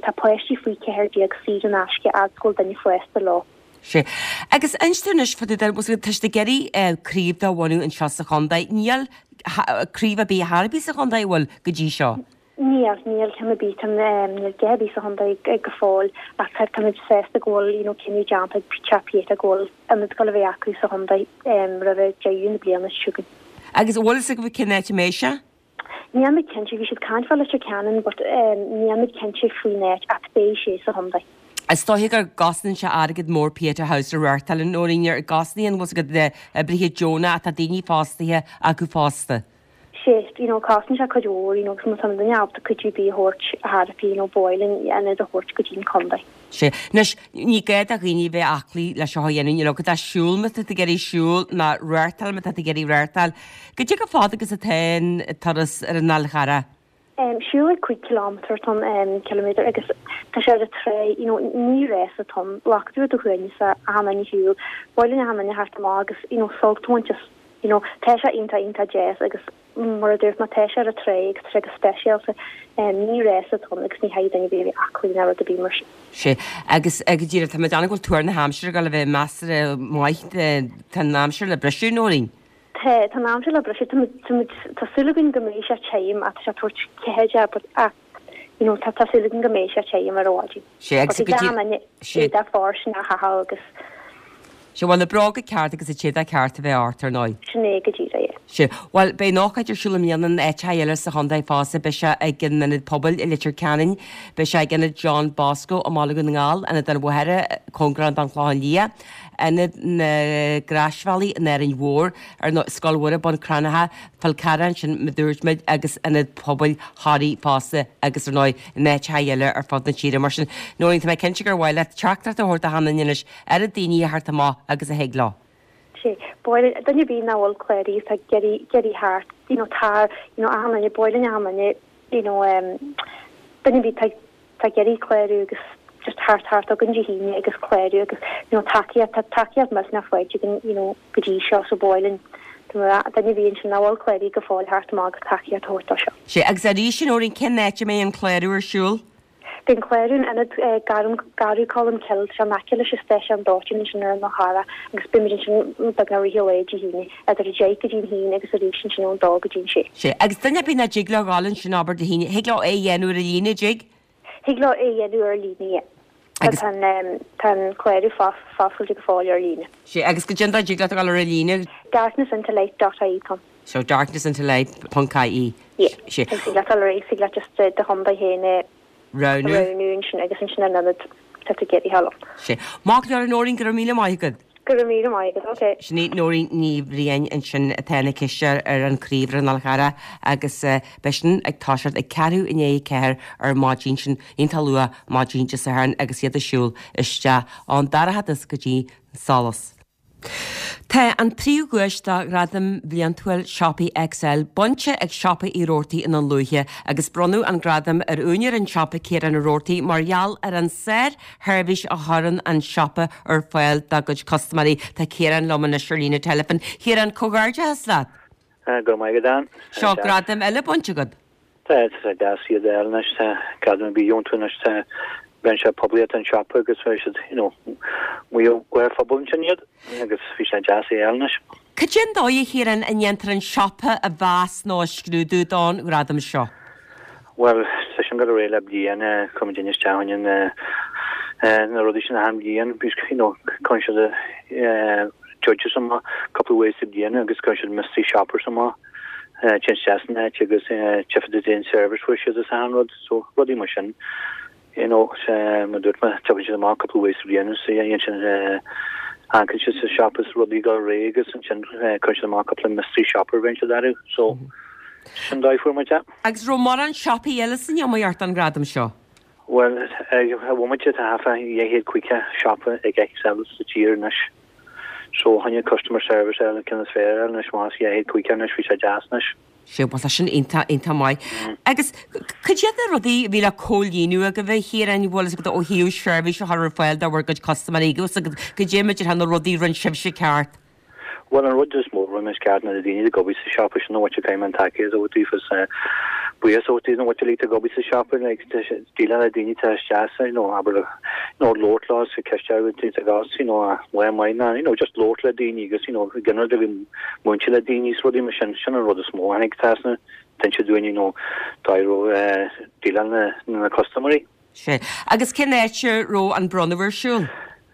Tá páistí faoi ceathair déag saor in aisce fhad is go bhfuil duine fásta leo. Sea. Agus inis dúinn anois fá dtaobh de, tá sibh ag iarraidh craobh do bhunú anseo sa chontae. Níl craobh ar bith chor ar bith sa chontae, an bhfuil, go dtí seo? Níl, níl ceann ar bith, tá, níl a dhath ar bith sa chontae go fóill ach tá, táimid sásta go bhfuil, you know, cinneadh déanta ag Teach Pieta go bhfuil ionad ag dul a bheith acu sa chontae roimhe deireadh na bliana seo chugainn. Agus an bhfuil fhios agaibh cén áit a mbeidh sé? Níl muid cinnte, bhí siad ag caint fá Leitir Ceanainn but níl muid cinnte faoin áit ach beidh sé sa chontae. Is dóiche go gcosnaíonn sé airgead mór Pieta House a reáchtáil, a Nóirín, an gcosnaíonn, bhfuil fhios agat, na hoibrithe deonacha ach tá daoine fostaithe acu fosta. Sea, you know, cosnaíonn sé cuid mhór, you know, agus má tá duine ábalta cuidiú ar bith a thabhairt a thairbhí, you know, ba mhaith linn ionad a thabhairt go dtí an contae. Sea. Anois, ní gá do dhaoine a bheith aclaí le seo a dhéanamh, you know, go siúl má tá tú ag iarraidh siúl ná reáchtáil má tá tú ag iarraidh reáchtáil. Goidé chomh fada agus atá an turas ar an Fhál Charrach? Siúlóid cúig kilometre atá ann, ciliméadar, agus tá sé ar an trá, you know, ní rás atá ann, glacfaidh tú ar do shuaimhneas achan duine ag siúl, ba mhaith linn achan duine theacht amach agus, you know, sult a bhaint as, you know, tá sé iontach, iontach deas agus mar a dúirt mé, tá sé ar an trá agus tá sé go speisialta, ní rás atá ann agus ní chaithfidh duine ar bith a bheith aclaí ná rud ar bith mar sin. Sea, agus go díreach, tá mé ag déanamh go bhfuil tuar na haimsire ag dul a bheith measartha maith, tá an aimsir le briseadh, Nóirín. Tá, tá an aimsir le briseadh. Tá muid, tá muid, tá súil againn go mbeidh sé tirim ach tá sé ag tabhairt ceathair but ach, you know, tá, tá súil againn go mbeidh sé tirim ar an mhaidin. Sea, agus But go dtí, an duine sea. éadach fóirsteanach a chaitheamh agus. Sea, bhuel, na bróga ceart agus an t-éadach ceart a bheith ort, ar ndóigh. Sin é go díreach, yeah. Sea, bhuel, beidh an ócáid ar siúl i mbliana in áiteacha eile sa chontae fosta. Beidh sé ag an Ionad Pobail i Leitir Ceanainn, beidh sé ag Ionad John Bosco i mBaile Dhún na nGall, Ionad an Mhachaire, cóngarach don Chlochán Liath, Ionad na gCroisbhealaí in Árainn Mhór, ar ndóigh, Scoil Mhuire, Bun Cranncha, Fál Carrach ansin mar a dúirt muid agus Ionad Pobail Thoraí fosta agus ar ndóigh in áiteacha eile ar fud na tíre. Mar sin, Nóirín, tá mé cinnte gur mhaith leat teachtaireacht a thabhairt do achan duine anois, oiread daoine a theacht amach agus a thig leo. Sea, ba mhaith linn, duine ar bith nach bhfuil cláraithe atá ag iarraidh, ag iarraidh theacht, you know, tar, you know, achan duine, ba mhaith linn achan duine, you know, em, duine ar bith atá Tá ag iarraidh clárú agus just theacht thart chugainn Dé hAoine agus clárú agus you know tacaíocht, tá tacaíocht millteanach faighte againn you know go dtí seo so ba mhaith linn duine ar bith ansin nach bhfuil cláraithe go fóill theacht amach agus tacaíocht a thabhairt dó seo. Sea, agus arís a Nóirín, cén áit a mbeidh an clárú ar siúl? Beidh an clárú in ionad Garradh Cholm Cille, tá sé in aice leis an stáisiún dóiteáin ansin ar an Fhál Charrach agus beidh muid ansin beagnach i rith an lae Dé hAoine idir a deich go dtí an haon agus arís ansin ón dó go dtí an sé. Sea, agus duine ar bith nach dtig leo dhul ansin abair Dé hAoine, thig leo é a dhéanamh ar líne, dtig? Thig leo é a dhéanamh ar líne, yeah. Agus. Tá an, tá an clárú foscailte go fóill ar líne. Sea, agus goidé an dóigh a dtig leat a dhul ar líne. darknessintolight dot ie com. So darknessintolight ponc ie. Yeah. Sea. Agus thig leat dul ar aghaidh, thig leat just do chontae féin a Roghnú. roghnú ansin agus ansin an ionad tá tú ag iarraidh a dhul ann. Sea. Maith go leor, a Nóirín, go raibh míle maith agat. Go raibh míle maith agat, ok. Sin í Nóirín Ní Bhriain ansin atá ina cisteoir ar an chraobh ar an Fhál Charrach agus beidh sin ag toiseacht ag ceathrú i ndiaidh a ceathair ar maidin, sin iontach luath maidin Dé Sathairn agus iad ag siúl isteach ón dorchadas go dtí an solas. Tá an príomhdhuais do Ghradam Bhliantúil Siopaí XL bainte ag Siopa Uí Robhartaigh i nDún Lúiche agus bronnadh an gradam ar úinéir an tsiopa Ciarán Ó Robhartaigh mar gheall ar an sársheirbhís a chuireann an siopa ar fáil dá gcuid custaiméirí. Tá Ciarán liom anois ar líne teileafóin. Ciarán, comhghairdeachas leat! Go raibh maith agat, Ann. Seo gradam eile bainte agat. Tá, tá sé deas iad a fháil anois, tá gradam ar bith iontach anois, tá rinne sé poiblíocht an siopa agus bhí siad, you know, maoth ar phobal ansin iad agus bhí sé deas é a fháil anois. Cad é an dóigh, a Chiaráin, a ndéantar an siopa a mheas nó a scrúdú don ghradam seo? Bhuel, tá sin ag dul ar aghaidh le bliain, chuir muid isteach ann na rudaí sin achan bhliain, you know, cuireann siad judges amach cúpla uair sa bhliain agus cuireann siad mystery shoppers amach. Téann isteach san áit agus tchífidh siad an service fuair siad is achan rud, so rudaí mar sin. You know, mar dúirt mé, tugann siad amach cúpla uair sa bhliain is ansin amharcann siad sa siopa is rudaí ag dul ar aghaidh agus ansin cuireann siad amach cúpla mystery shopper bhíonn siad orthu, so sin dóigh fuair muid é. Agus raibh mórán siopaí eile san iomaíocht don ghradam seo? Bhuel, ag an bhomaite tá thart fá dhá chéad caoga siopa ag XL sa tír anois. So tháinig customer service ar an ceann is fearr anois más dhá chéad caoga anois bhí sé deas anois. Sea, bhuel tá sin iontach, iontach maith. Agus cad iad na rudaí a bhí le comhlíonadh agaibh a Chiaráin, bhfuil fhios agat ó thaobh seirbhís a chur ar fáil do bhur gcuid custaiméirí agus cad é mar a déarfá na rudaí a rinne sibhse ceart? Bhuel an rud is mó a rinne muid ceart ná na daoine ag obair sa siopa sin an mhuintir caithfidh mé an tacaíocht a thabhairt daofa is buíochas a thabhairt daofa an mhuintir uilig atá ag obair sa siopa like déileáil le daoine atá isteach sa you know abair you know labhairt leo is ceist ar bith atá agat you know lá maith ná you know just labhairt le daoine agus you know ginearálta a bheith múinte le daoine is rudaí mar sin sin an rud is mó a tháinig trasna d'inse dúinn you know dóigh a raibh déileáil na na custaiméirí. Sea. Agus cén áit a raibh an bronnadh ar siúl?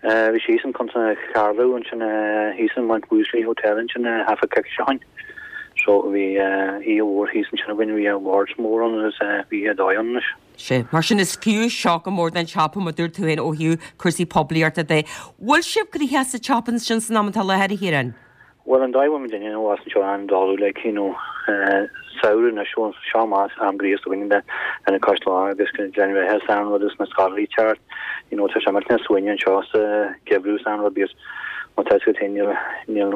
Bhí sé thíos in Contae Carló ansin thíos in Mount Ousley Hotel ansin thart fá coicís ó shin. So bhí oíche mhór thíos ansin againn, bhí awards mór ann agus bhí oíche dóigh ann anois. Sea. Mar sin is fiú seo go mór don tsiopa mar dúirt tú féin ó thaobh cúrsaí poiblíochta de. Bhfuil sibh gnoitheach sa tsiopa ansin san am atá i láthair, a Chiaráin? Bhuel, an dóigh a bhfuil muid inniu abhus anseo an-dóigh like, you know, samhradh anois, bhuel, seo amach am gríosta againn le lena cois lá agus Gleann Bheatha is an rud is na scoláirí teacht, you know, tá sé millteanach suaimhneach anseo sa gheimhreadh is an rud because má tá fhios agat féin níl níl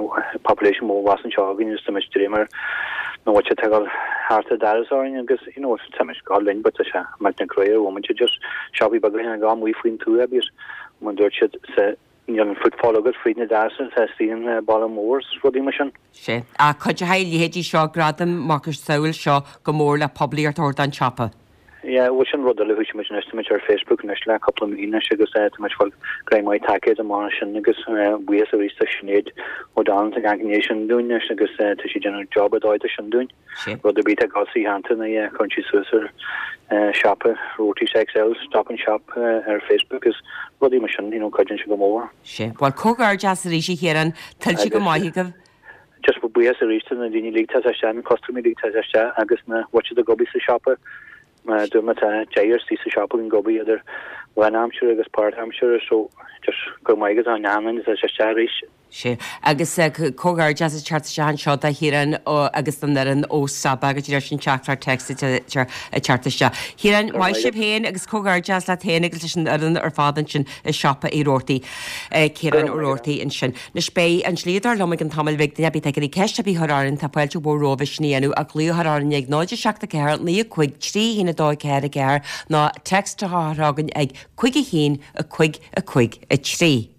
population mór abhus anseo againn agus tá muid dréim ar na bhfuil ag dul thart ar dturas orainn agus you know, tá muid ag dul linn but tá sé millteanach crua ar bhomaite just siopaí beaga ag dul amuigh faoin tuath because mar dúirt siad sa Níl an footfall agat fríd na doirse atá istigh in baile mór is rudaí mar sin. Sea. Ach cuideoidh a leithéidí seo, gradaim macasamhail seo go mór le poiblíocht a thabhairt don tsiopa. Yeah, bhuel sin rud eile, thosaigh muid anois, tá muid ar Facebook anois le cúpla mí anois agus tá muid ag fáil grá maith tacaíocht amach ansin agus buíochas arís do Sinéad O'Donnell atá ag amharc i ndiaidh sin dúinn anois agus tá sí ag déanamh job ar dóigh de sin dúinn. Rud ar bith atá ag dul sa cheantar ná cuireann sí suas ar siopa Roarty's XL, Stop and Shop ar Facebook is rudaí mar sin, you know, cuidíonn sé go mór. Sea. Bhuel, comhghairdeas arís a Chiaráin, tuillte go maith agaibh. Just buíochas arís do na daoine uilig atá isteach, na custaiméirí uilig atá isteach agus na mhuintir atá ag obair sa siopa. Mar a dúirt mé tá deichniúr istigh sa siopa ag obair idir lánaimseartha agus páirtaimseartha so just go raibh maith agat an aon duine atá isteach arís. Sea, agus comhghairdeas ag teacht isteach anseo do Chiarán agus don fhoireann ó Saba go dtí sin teachtaireacht téacs ag teacht isteach. Chiaráin, maith sibh féin agus comhghairdeas leat féin agus leis an fhoireann ar fad ansin i siopa Uí Robhartaigh. Ciarán Ó Robhartaigh ansin. Anois beidh an dlíodóir liom i gcionn tamaill bhig duine ar bith atá ag iarraidh ceist ar bith a chur orainn, tá fáilte mhór romhaibh sin a dhéanamh ach glaoch a chur orainn ag náid a seacht a ceathair naoi a cúig trí haon a dó a ceathair a ceathair nó text a chur chugainn ag cúig a haon a cúig a cúig a trí.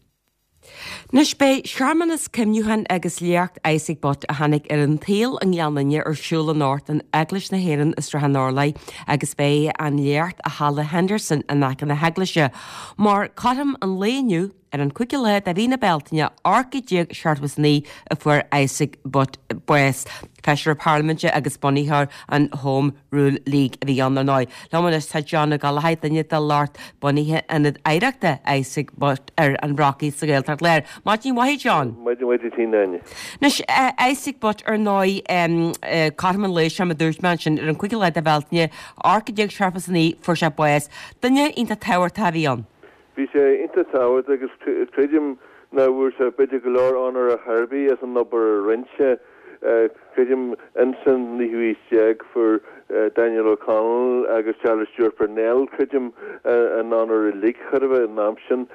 Anois beidh searmanas cuimhniúcháin agus léacht Isaac Butt a tháinig ar an tsaol i nGleann Fhinne ar siúl anocht in Eaglais na hÉireann i Srath an Orlaigh agus beidh an léacht i Halla Henderson in aice na heaglaise mar cothrom an lae inniu ar an cúigiú lá de mhí na Bealtaine ocht déag seachtó is a naoi a fuair Isaac Butt bás. Feisire Parlaiminte agus bunaitheoir an Home Rule League a bhí ann, ar ndóigh. Liom anois tá John Ó Gallchóir, duine de lucht bunaithe Ionad Oidhreachta Isaac Butt ar an Bhrocaigh sa Ghaeltacht Láir. Maidin mhaith, a John. Maidin mhaith duit féin, Áine. Anois, Isaac Butt, ar ndóigh, cothrom an lae seo, mar a dúirt mé ansin, ar an cúigiú lá de Bhealtaine, ocht déag seachtó is a naoi, fuair sé bás. Duine iontach tábhachtach a bhí ann. Bhí sé iontach tábhachtach agus creidim nach bhfuair sé b'fhéidir go leor onóir ar chor ar bith as an obair a rinne sé. Creidim insan naoú haois déag fuair Daniel O'Connell agus Charles Stewart Parnell creidim an onóir uilig chor a bheith an am sin.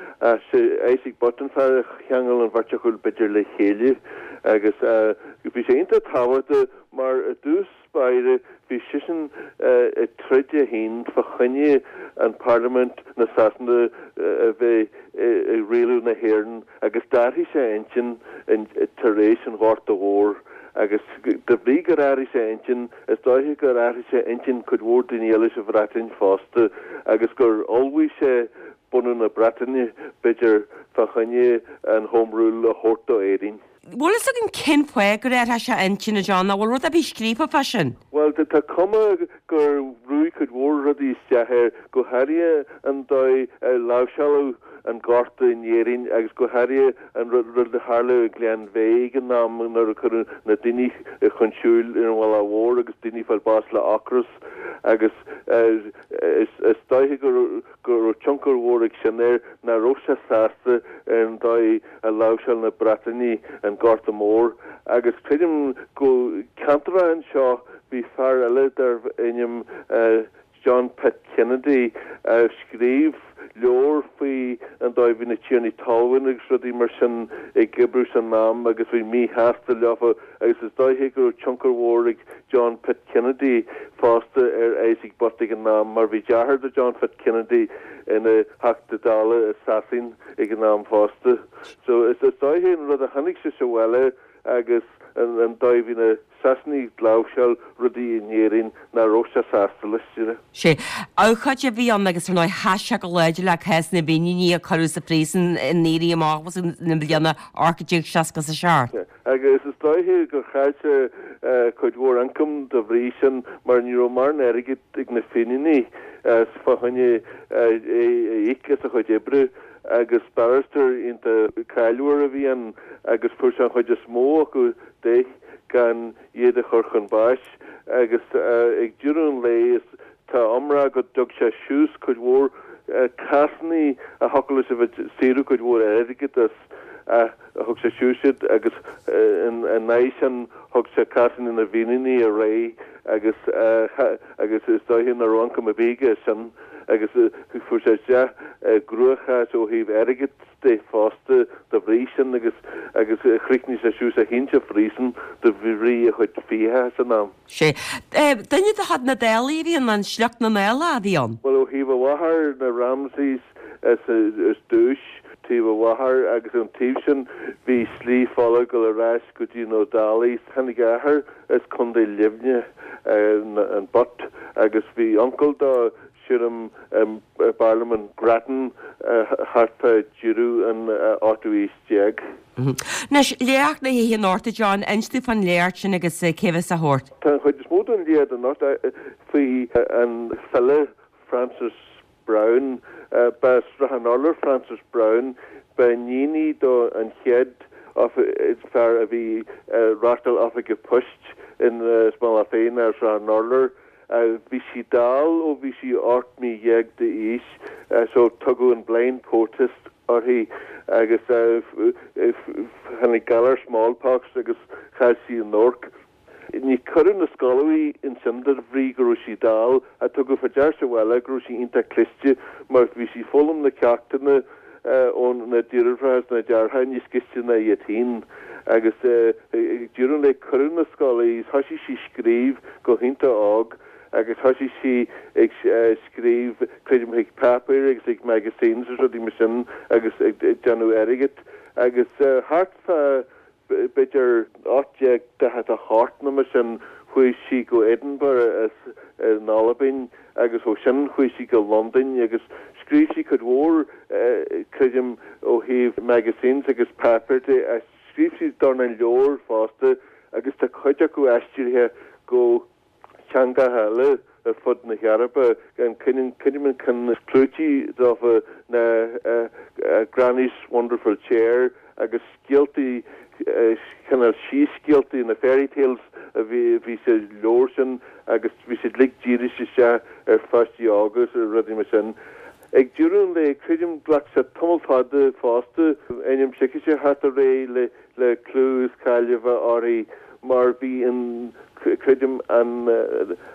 Sé Isaac Butt an fear a cheangail an bheirt acu b'fhéidir le chéile agus bhí sé iontach tábhachtach mar i dtús báire bhí seisean ag troid é féin fá choinne an Parlaimint na Sasana a bheith ag rialú na hÉireann agus d'athraigh sé a intinn tar éis an Ghorta Mhóir agus de bhrí gur athraigh sé a intinn is dóiche gur athraigh sé intinn cuid mhór daoine eile sa Bhreatain fosta agus gur ullmhaigh sé bunú na Breataine b'fhéidir fá choinne an Home Rule a thabhairt do Éirinn. Bhfuil fhios againn cén fáth gur athraigh sé a intinn a John, nó bhfuil rud ar bith scríofa fá sin? Bhuel, tá cuma gur bhrúigh cuid mhór rudaí isteach air, go háirithe an dóigh ar láimhseáladh an Gorta in Éirinn agus go háirithe an rud a tharla i nGleann Bheidh ag an am nuair a cuireadh na daoine chun siúil ar an Mhullach Mhór agus daoine ag fáil bás le ocras agus is dóiche go raibh tionchar mhór ag sin air nach raibh sé sásta ar an dóigh a láimhseáil na Breatanaigh an Gorta Mór agus creidim go ceantar anseo bhí fear eile darbh ainm John Pitt Kennedy a scríobh leabhar faoi an dóigh a bhí na tiarnaí talún agus rudaí mar sin ag oibriú san am agus bhí míshásta leofa agus is dóiche go raibh tionchar mhór ag John Pitt Kennedy fosta ar Isaac Butt ag an am mar bhí deartháir do John Pitt Kennedy ina Theachta Dála i Sasain ag an am fosta. So is dóiche an rud a chonaic sé sa bhaile agus an dóigh a bhí na Sasanaigh ag láimhseáil rudaí in Éirinn nach raibh sé sásta leis, you know. Sé abhcóide a bhí ann agus ar ndóigh sheas sé go láidir le cás na bhFíníní a cuireadh sa phríosún in Éirí Amach na bliana ocht déag seasca is a seacht. Agus is dóiche gur chaill sé cuid mhór ioncaim de bhrí sin mar ní raibh mórán airgid ag na Fíníní fá choinne é a íoc as a chuid oibre. Agus barrister iontach cáiliúil a bhí ann agus fuair sé an chuid is mó acu de gan iad a chur chun báis agus ag deireadh an lae is tá iomrá go dtug sé suas cuid mhór cásanna a thiocfadh leis a bheith ag saothrú cuid mhór airgid as ach thug sé suas iad agus in aghaidh sin thug sé cásanna na bhFíníní ar aghaidh agus agus is dóiche nach raibh ioncam ar bith aige as sin agus fuair sé isteach i gcruachás ó thaobh airgid de fosta de bhrí sin agus agus chríochnaigh sé suas é féin sa phríosún de bhrí a chuid fiacha san am. Sé. Duine de chuid na Dálaigh a bhí ann, an sliocht na nDálach a bhí ann. Bhuel ó thaobh a mháthar, na Ramsays is dtús, taobh a mháthar agus ón taobh sin bhí slí fola ag dul ar ais go dtí na Ó Dálaigh. Tháinig a athair as Contae Luimnigh, an Butt, agus bhí uncail dó sílim i bParlaimint Grattan thart fá deireadh an ochtú haois déag. Anois, léacht na hoíche anocht, a John, inis dúinn fán léacht sin agus cé a bheas á thabhairt. Tá an chuid is mó den léacht anocht faoi an file Frances Browne. Ba as Srath an Urláir Frances Browne. Ba iníon í do an chéad fear a bhí ag reáchtáil oifige poist in Mullach Féin ar Shrath an Urláir. Bhí sí dall ó bhí sí ocht mí dhéag d'aois so tugadh an blind poetess uirthi agus tháinig galar smallpox agus chaill sí an amharc. Ní cuireadh na scoile í ansin de bhrí go raibh sí dall ach tugadh faoi dear sa bhaile go raibh sí iontach cliste mar bhí sí ag foghlaim na ceachtanna ó na deirfiúracha is na deartháireacha níos gaiste ná iad féin agus ag deireadh an lae cuireadh na scoile í thoisigh sí scríobh go hiontach óg agus thoisigh sí ag scríobh creidim chuig páipéir agus chuig magazines agus rudaí mar sin agus ag déanamh airgid agus thart fá b'fhéidir ocht déag daichead a hocht nó mar sin chuaigh sí go Edinburgh as in Albain agus ó sin chuaigh sí go Londain agus scríobh sí cuid mhór creidim ó thaobh magazines agus páipéir de ach scríobh sí dornán leabhar fosta agus tá cuid acu aistrithe go teangacha eile ar fud na hEorpa. An creidim an ceann is clúití dófa ná Granny's Wonderful Chair agus scéaltaí cineál síscéaltaí, na fairy tales a bhí sa leabhar sin agus bhí siad uilig dírithe isteach ar pháistí óga is rudaí mar sin. Ag deireadh an lae, creidim, ghlac sé tamall fada fosta ainm s'aici a theacht ar aghaidh le clú is cáil a bheith uirthi mar bhí an creidim an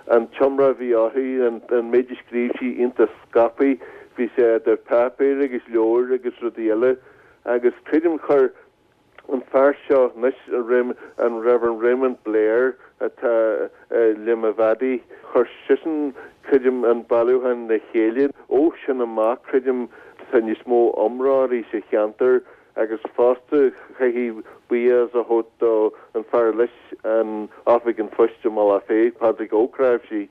an t-iomrá a bhí uirthi, an an méid a scríobh sí iontach scaipthe, bhí sé idir páipéir agus leabhair agus rudaí eile agus creidim chuir an fear seo anois, an Reverend Raymond Blair atá i Limavady, chuir seisean creidim an bailiúchán le chéile. Ó sin amach creidim tá níos mó iomrá uirthi sa cheantar agus fosta caithfidh buíochas a thabhairt do an fear leis an Oifig an Phoist i mBealach Féich, Pádraig Ó Cnáimhsí.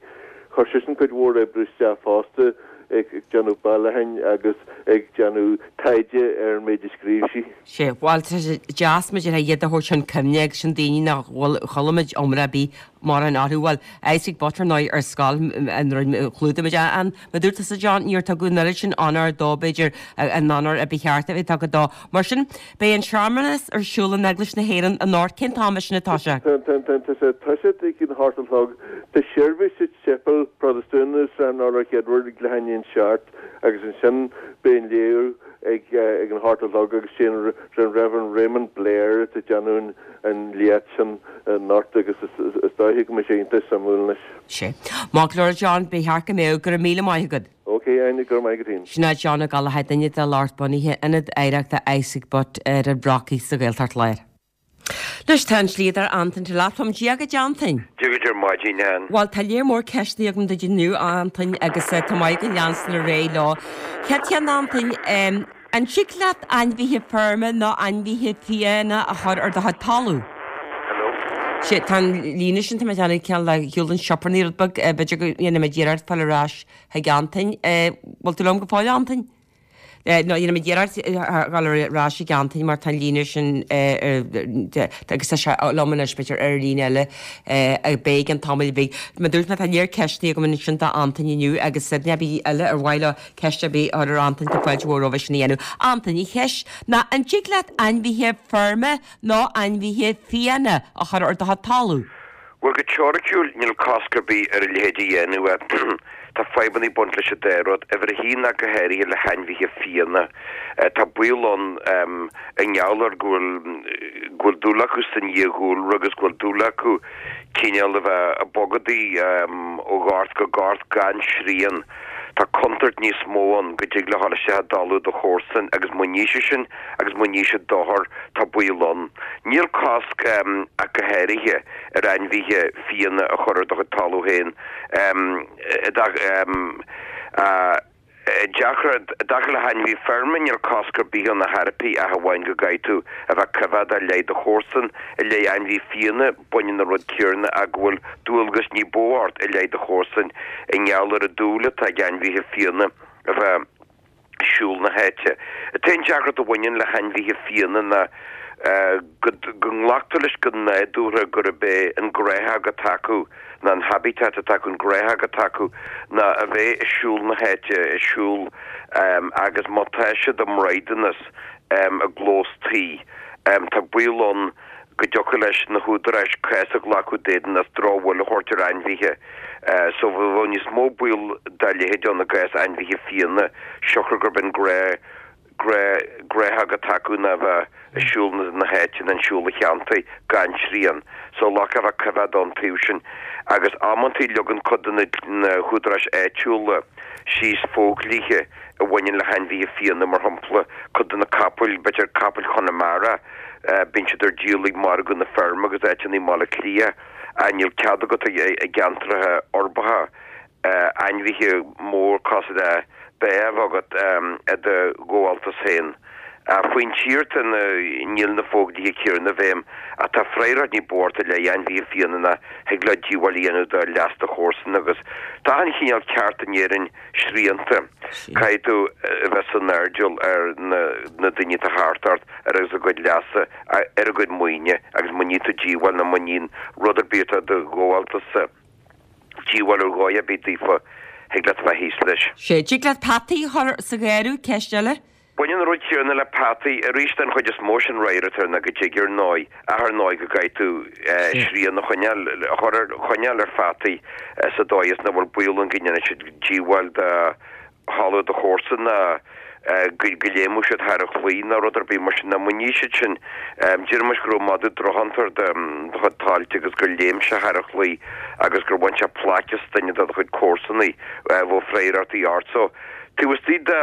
Chuir seisean cuid mhór oibre isteach fosta ag déanamh bailiúcháin agus ag déanamh taighde ar an méid a scríobh sí. Sea, bhuel, tá sé deas muid ar iad a thabhairt chun cuimhne agus sin daoine nach bhfuil chuala muid iomrá ar bith mórán orthu. Bhuel, Isaac Butt ar ndóigh ar scoil an chlúdaigh muid an mar dúirt tusa John, níor tugadh an oiread sin onóir dó b'fhéidir an onóir a ba cheart a bheith tugtha dó. Mar sin, beidh an searmanas ar siúl in Eaglais na hÉireann anocht. Cén t-am é sin atá sé? Tá sé tosaithe ag an hocht a chlog. Tá seirbhís sa tséipéal Protastúnach i Sráid an Urláir Chéadúair ag leath i ndiaidh a seacht agus ansin beidh an léamh ag ag an hocht a chlog agus sé an Reverend Raymond Blair atá ag déanamh an léacht sin anocht agus is dóiche go mbeidh sé iontach suimiúil anois. Sea. Maith go leor John, ba cheart go mbeadh. Go raibh míle maith agat. Ok, Áine, go raibh maith agat féin. Sin é John Ó Gallchóir, duine de lucht bunaithe Ionad Oidhreachta Isaac Butt ar an Bhrocaigh sa Ghaeltacht Láir. Anois tá an slíodóir Antain Delap liom. Dia dhuit Antain. Dia dhuit ar maidin, Ann. Bhuel, tá léar mór ceisteanna agam duit inniu, a Antain, agus tá maith go leanstan ar aghaidh leo. Chéad cheann, Antain, an dtig leat ainmhithe feirme nó ainmhithe fiáine a chur ar do chuid talún? Hello? Sea, tá an líne sin, tá mé ag déanamh cineál le shiúl den sioparnaí rud beag, b'fhéidir go ndéanfaidh muid iarracht fáil ar ais chuig Antain. Bhfuil tú liom go fóill, a Antain? Nó dhéanfaidh muid iarracht dhul ar ais chuig Antain mar tá an líne sin agus tá sé liom anois b'fhéidir ar líne eile beidh i gceann tamaill bhig. Mar dúirt mé tá léar ceisteanna agam ansin do Antain inniu agus duine ar bith eile ar mhaith leo ceist ar bith a chur ar Antain tá fáilte mhór roimhe sin a dhéanamh. Antain, an cheist ná an dtig leat ainmhithe feirme nó ainmhithe fiáine a chur ar do chuid talún? Bhuel, go teoiriciúil, níl cosc ar bith ar a leithéid a dhéanamh. Tá fadhbanna ag baint leis an dá rud. Uimhir a haon ach go háirithe le hainmhithe fiáine. Tá baol ann i ngeall ar go bhfuil go bhfuil dúil acu san fhiadhúlra agus go bhfuil dúil acu cineál a bheith ag bogadaí ó ghort go gort gan srian. Tá contúirt níos mó ann go dtig leo dhul isteach i dtalamh do chomharsan agus má ní siad sin agus má ní siad dochar, tá baol ann. Níl cosc ach go háirithe ar ainmhithe fiáine a chur ar do chuid talamh féin. I dtaca le hainmhithe feirme, níl cosc ar bith ann ar chor ar bith ach amháin go gcaithfidh tú a bheith coimheádach i leith do chomharsan. I leith ainmhithe fiáine, baineann an rud céanna ach go bhfuil dualgas ní ba mhó ort i leith do chomharsan i ngeall ar an dúil atá ag ainmhithe fiáine a bheith ag siúl na háite. An t-aon deacracht a bhaineann le hainmhithe fiáine ná go nglactar leis go nádúrtha gurb é an gnáthóg atá acu, ná an habitat atá acu, an gnáthóg atá acu, ná a bheith ag siúl na háite, ag siúl agus má tá siad i mbraighdeanas i gclós tí, tá baol ann go dtiocfadh leis na húdaráis cás a ghlacadh d'éadan as drochbhail a thabhairt ar ainmhithe. So bheadh níos mó baol dá leithéid ann i gcás ainmhithe fiáine, siocair gurb in gnáthóg atá acu ná a bheith ag siúl na háite nó ag siúl an cheantair gan srian. So ghlacfá a bheith coimheádach ón taobh sin. Agus amantaí leagann cuid de na húdaráis áitiúla síos fodhlíthe a bhaineann le hainmhithe fiáine, mar shampla, cuid de na capaill, b'fhéidir capaill Chonamara, bíonn siad ar díol ag margadh na feirme agus áiteanna i mBaile Átha Cliath, níl cead agat i gceantracha uirbeacha ainmhithe mór cosúil le ba a bheith agat i do ghabháltas féin. Faoin tír tá na, níl na fodhlíthe céanna i bhfeidhm ach tá freagracht ní ba mhó ort i leith ainmhithe fiáine ná thig leo díobháil a dhéanamh do leas do chomharsan agus tá achan chineál ceart in Éirinn srianta. Caithfidh tú a bheith san airdeall ar na daoine atá thart ort, ar agus a gcuid leasa, ar a gcuid maoine agus má ní tú díobháil nó má níonn rud ar bith atá i do ghabháltas-sa díobháil ar dhóigh ar bith daofa, thig leat a bheith thíos leis. Sea, dtig leat peataí a chur sa gharradh, ceist eile? Baineann an rud céanna le peataí. Arís, den chuid is mó sin rogha atá ná go dtig ar ndóigh, ach ar ndóigh go gcaithfidh tú srian a choinneáil, a chur ar, choinneáil ar pheataí sa dóigh is nach bhfuil baol ann go ndéanfaidh siad díobháil do thalamh do chomharsan ná go léimeadh siad thar an chlaí nó rud ar bith mar sin. Muna ní siad sin, déarfaimis go raibh madadh drochthiontar do chuid tailte agus gur léim sé thar an chlaí agus gur bhain sé plaic as duine de do chuid comharsanaí, bheadh freagrachtaí ort. So, taobh istigh de,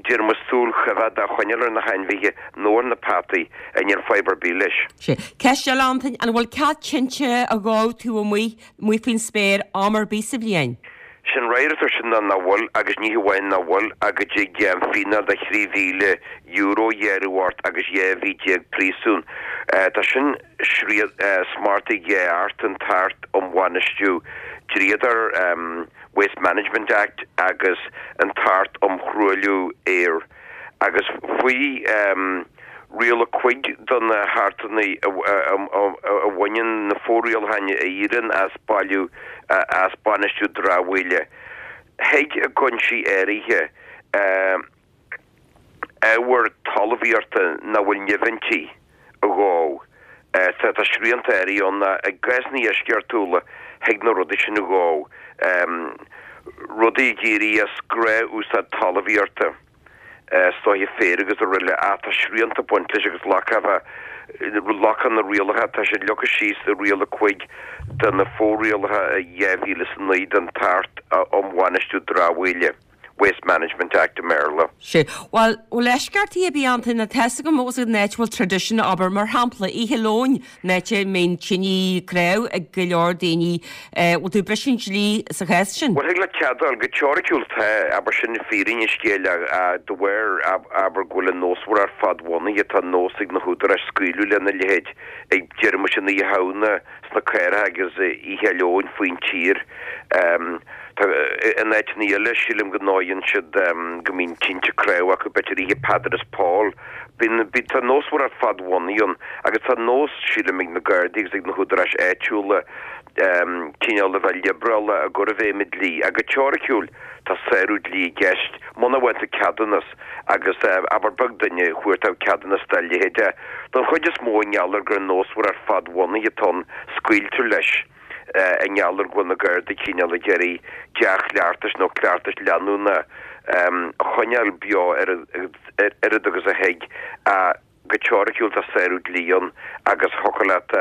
déarfaimis súil choimhead a choinneáil ar na hainmhithe nó ar na peataí, níl fadhb ar bith leis. Sea. Ceist eile, Antain, an bhfuil cead tinte a dhó taobh amuigh, amuigh faoin spéir, am ar bith sa bhliain? Sé'n fhreagra air sin ná nach bhfuil, agus ní hamháin nach bhfuil, ach go dtig fíneáil de thrí mhíle euro a ghearradh ort agus dhá mhí déag príosúin. Tá sin smachtaithe dhá Acht, an tAcht um Bhainistiú Dríodair, Waste Management Act, agus an tAcht um Thruailliú Aeir. Agus faoi Riail a cúig de na hAchtanna a bhaineann na fo-rialacháin a éiríonn as bailiú as bainistiú dramhaíola, thig i gcúinsí áirithe ábhar talmhaíochta nach bhfuil nimh inti a dhó. Tá srianta áirithe ann i gcásanna eisceachtúla thig na rudaí sin a dhó, rudaí ag éirí as gnáth-úsáid talmhaíochta. Stoithe féir agus araile ach tá srianta ag baint leis agus glacadh glacadh na rialacha, tá siad leagtha síos i Riail a cúig de na fo-rialacha dhá mhíle is a naoi den tAcht um Bhainistiú Dramhaíola, Waste Management Act i mBéarla. Sea. Bhuel, bhfuil eisceachtaí ar bith ann, tá a fhios agam ós an áit a bhfuil traidisiún, abair, mar shampla, Oíche Luain, an áit a mbíonn tine cnámh ag go leor daoine, bhfuil tú ag briseadh an dlí sa chás sin? Bhuel, thig leat cead a fháil, go teoiriciúil tá, abair, sin fírinne an scéil de bharr, abair, go bhfuil an nósmhaireacht fadbhunaithe, tá nós ag na húdaráis scaoileadh lena leithéid ag, déarfaimis, an Oíche Shamhna sna cathracha agus Oíche Fhéile Eoin faoin tír. Tá, in áiteanna eile, sílim go ndóigheann siad go mbíonn tinte cnámh acu, b'fhéidir Oíche Peadar is Pól. Bíonn, bíonn, tá nósmhaireacht fadbhunaithe ann agus tá nós, sílim, ag na Gardaí agus ag na húdaráis áitiúla cineál a bheith liobrálach i gcur i bhfeidhm an dlí. Ach go teoiriciúil, tá sárú dlí i gceist muna bhfaigheann tú ceadúnas agus, abair, beag duine a chuartódh ceadúnas dá leithéid. Don chuid is mó, i ngeall ar gur nósmhaireacht fadbhunaithe atá ann, scaoiltear leis i ngeall ar go bhfuil na Gardaí cineál ag iarraidh dea-chleachtais nó cleachtais leanúna a choinneáil beo oiread agus a thig. Go teoiriciúil tá sárú dlí ann agus thiocfadh leat,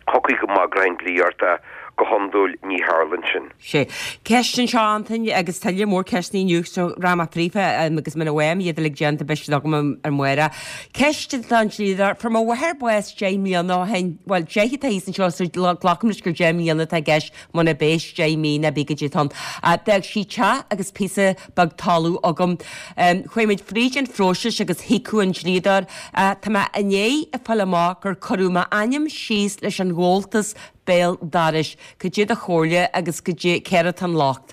thiocfadh go mbagródh an dlí ort ach go hiondúil ní tharlaíonn sin. Sea. Ceist anseo, Antain, agus tuilleadh mór ceisteanna inniu so rachaidh mé fríofa agus muna bhfaighim iad uilig déanta beidh siad agam ar amárach. Ceist don dlíodóir, Fuair mo mháthair bás deich mbliana ó shin, bhuel deich atá thíos anseo so glacaim leis gur deich mbliana atá i gceist muna b'é deich mí ná bí goidé atá ann. D'fhág sí teach agus píosa beag talamh agam. Chuaigh muid fríd an phróiseas agus thiocfadh an dlíodóir. Tá mé i ndiaidh a fáil amach gur cuireadh m'ainm síos leis an gcomhaltas béal dorais. Cad é do chomhairle agus cad é, céard atá an locht?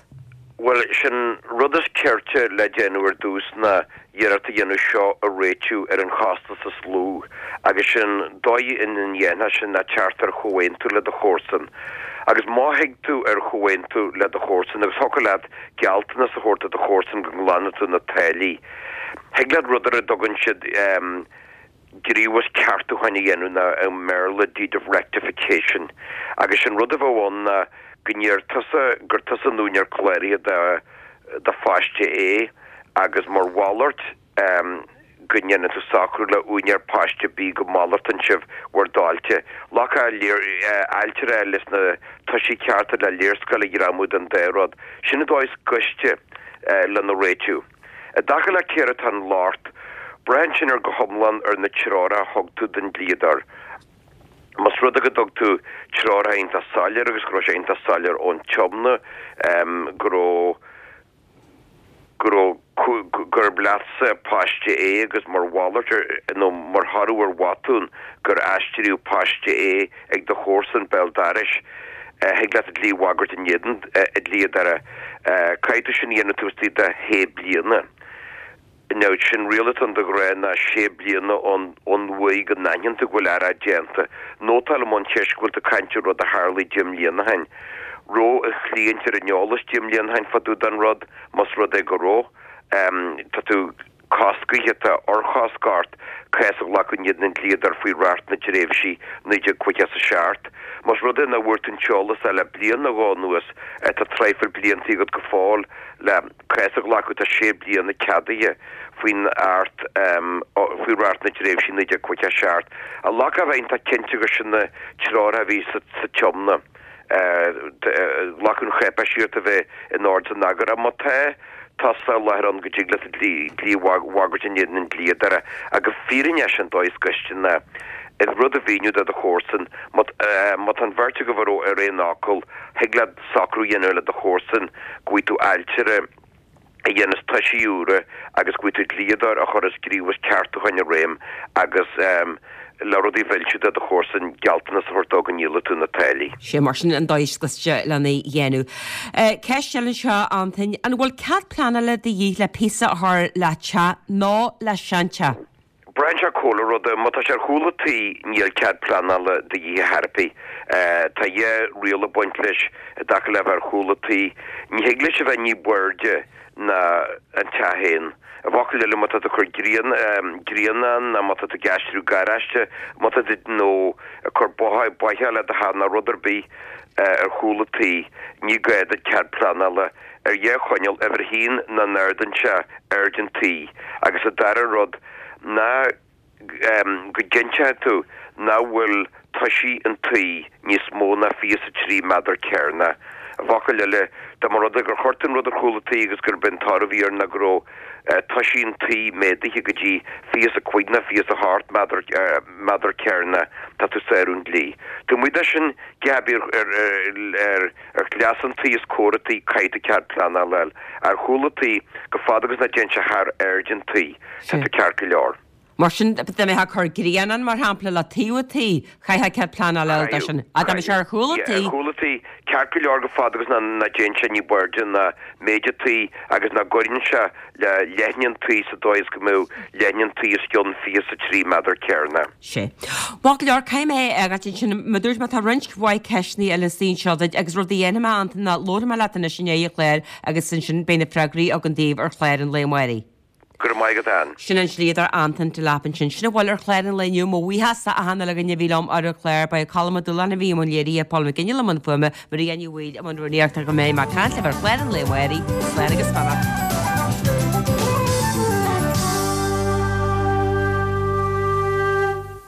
Bhuel, sé'n rud is cirte le déanamh ar dtús ná iarracht a dhéanamh seo a réitiú ar an chostas is lú, agus sé'n dóigh ina ndéanfá sin ná teacht ar chomhaontú le do chomharsan. Agus má thig tú ar chomhaontú le do chomharsan, agus thiocfadh leat gealltanas a thabhairt do do chomharsan go nglanfaidh tú na táillí, thig leat rud ar a dtugann siad gníomhas ceartúcháin a dhéanamh nó i mBéarla deed of rectification agus sé'n rud a bheadh ann ná go ndeir tusa gur tusa an úinéir cláraithe de do phaiste A agus mar mhalairt go ndéanann tú socrú le úinéir paiste B go malartaíonn sibh bhur dtailte. Glacadh ailtire leis na toisí cearta le léarscáil a ghreamú den dá rud. Sin an dóigh is gaiste lena réitiú. I dtaca le céard atá an locht, braitheann sin ar go hiomlán ar na treoracha a thug tú don dlíodóir. Más rud é go dtug tú treoracha iontach soiléir agus go raibh sé iontach soiléir ón tiomna go raibh go raibh gurb leatsa paiste A agus mar mhalairt ar nó mar thoradh ar bhotún gur aistríodh paiste A ag do chomharsan béal dorais, thig leat an dlí a bhagairt in éadan an dlíodóra. Caithfidh tú sin a dhéanamh taobh istigh de shé bliana. Now, sé'n riail atá ann de ghnáth ná sé bliana ón ón uair go n-aithníonn tú go bhfuil earráid déanta. Nótáil an cheist go bhfuil tú ag caint ar rud a tharlaigh deich mbliana ó shin. Raibh an chliaint ar an eolas deich mbliana ó shin fá dtaobh den rud, más rud é go raibh. Tá tú. coscaithe, tá urchosc ort cás a ghlacadh in éadan an dlíodóir faoi reacht na dtréimhsí naoi déag caoga is a seacht. Más rud é nach bhfuair tú an t-eolas le bliain nó dhó anuas, tá traidhfil blianta agat go fóill le cás a ghlacadh, tá sé bliana ceadaithe faoin Acht, faoi Reacht na dTréimhsí naoi déag caoga a seacht. A ghlacadh a bheith iontach cinnte gur sin na treoracha a bhí sa Tiomna. Glacadh an cháipéis ort a bheith in ord is in eagar. Má tá tusa i láthair ann go dtig leat an dlí a bhagairt in éadan an dlíodóra. Agus fírinne é sin dóigh is gaiste ná rud a mhíniú do do chomharsan. Má tá an bheirt agaibh ar aon fhocal, thig leat socrú a dhéanamh le do chomharsan go bhfaighidh tú ailtire a dhéanfas toisí úra agus go bhfaighidh tú dlíodóir a chuirfeas gníomhas ceartúcháin i réim agus le rudaí a mhilsiú do do chomharsan, gealltanas a thabhairt dó go ndíolfaidh tú na táillí. Sé mar sin an dóigh is cliste lena dhéanamh. Ceist eile anseo, Antain, an bhfuil cead pleanála de dhíth le píosa a chur le teach nó le seanteach? Braitheann sé ar chúpla rud. Má tá sé ar chúl an tí, níl cead pleanála de dhíth ar chor ar bith. Tá dhá riail ag baint leis i dtaca le bheith ar chúl an tí. Ní thig leis a bheith ní b'airde ná an teach féin. I bhfocail eile, má tá tú ag cur grianán nó má tá tú ag aistriú garáiste, má tá tú nó ag cur bóithre le do theach nó rud ar bith ar chúl an tí, ní gá duit cead pleanála ar dhá choinníoll, uimhir a haon, nach n-ardaíonn sé airde an tí agus an dara rud, ná go gcinnteoidh tú nach bhfuil toisí an tí níos mó ná fiche is a trí méadar cearnach. I bhfocail eile, dá mba rud é gur chuir tú an rud ar chúl an tí agus gurb é an toradh a bhí air ná go raibh toisí an tí méadaithe go dtí fiche is a cúig nó fiche is a hocht méadar cearnach, tá tú ag sárú an dlí. Taobh amuigh de sin, cibé ar ar chleas an tí is cóir an tí, caithfidh tú cead pleanála a fháil. Ar chúl an tí, go fada agus nach dtéann sé thar airde an tí, tá tú ceart go leor. Mar sin, dá mbeifeá ag cur grianán, mar shampla, le taobh an tí, chaithfeá cead pleanála a fháil dó sin. Ach dá mbeadh sé ar chúl an tí. Ar chúl an tí, ceart go leor go fada agus nach dtéann sé ní b'airde ná méid an tí agus nach gcuireann sé le leithne an tí sa dóigh is go mbeadh leithne an tí os cionn fiche is a trí méadar cearnach. Sea. Maith go leor, caithfidh mé é a fhágáilt ansin. Mar a dúirt mé, tá roinnt mhaith ceisteanna eile istigh anseo duit agus rud a dhéanfaidh mé, Antain, ná labharfaidh mé leat anois i ndiaidh an chláir agus ansin beidh na freagraí agam daoibh ar chlár an lae amáirigh. Go raibh maith agat, Ann. Sin an dlíodóir Antain Delap ansin. Sin a bhfuil ar chlár an lae inniu. Mo bhuíochas do achan uile dhuine a bhí liom ar an chlár. Ba é Colm Ó Dúláin a bhí i mbun léirithe, Paul McGinley i mbun fuaime, Maria Ní Bhaoill i mbun rúnaíochta. Go mbeidh mé ag caint libh ar chlár an lae amáirigh. Slán agus beannacht.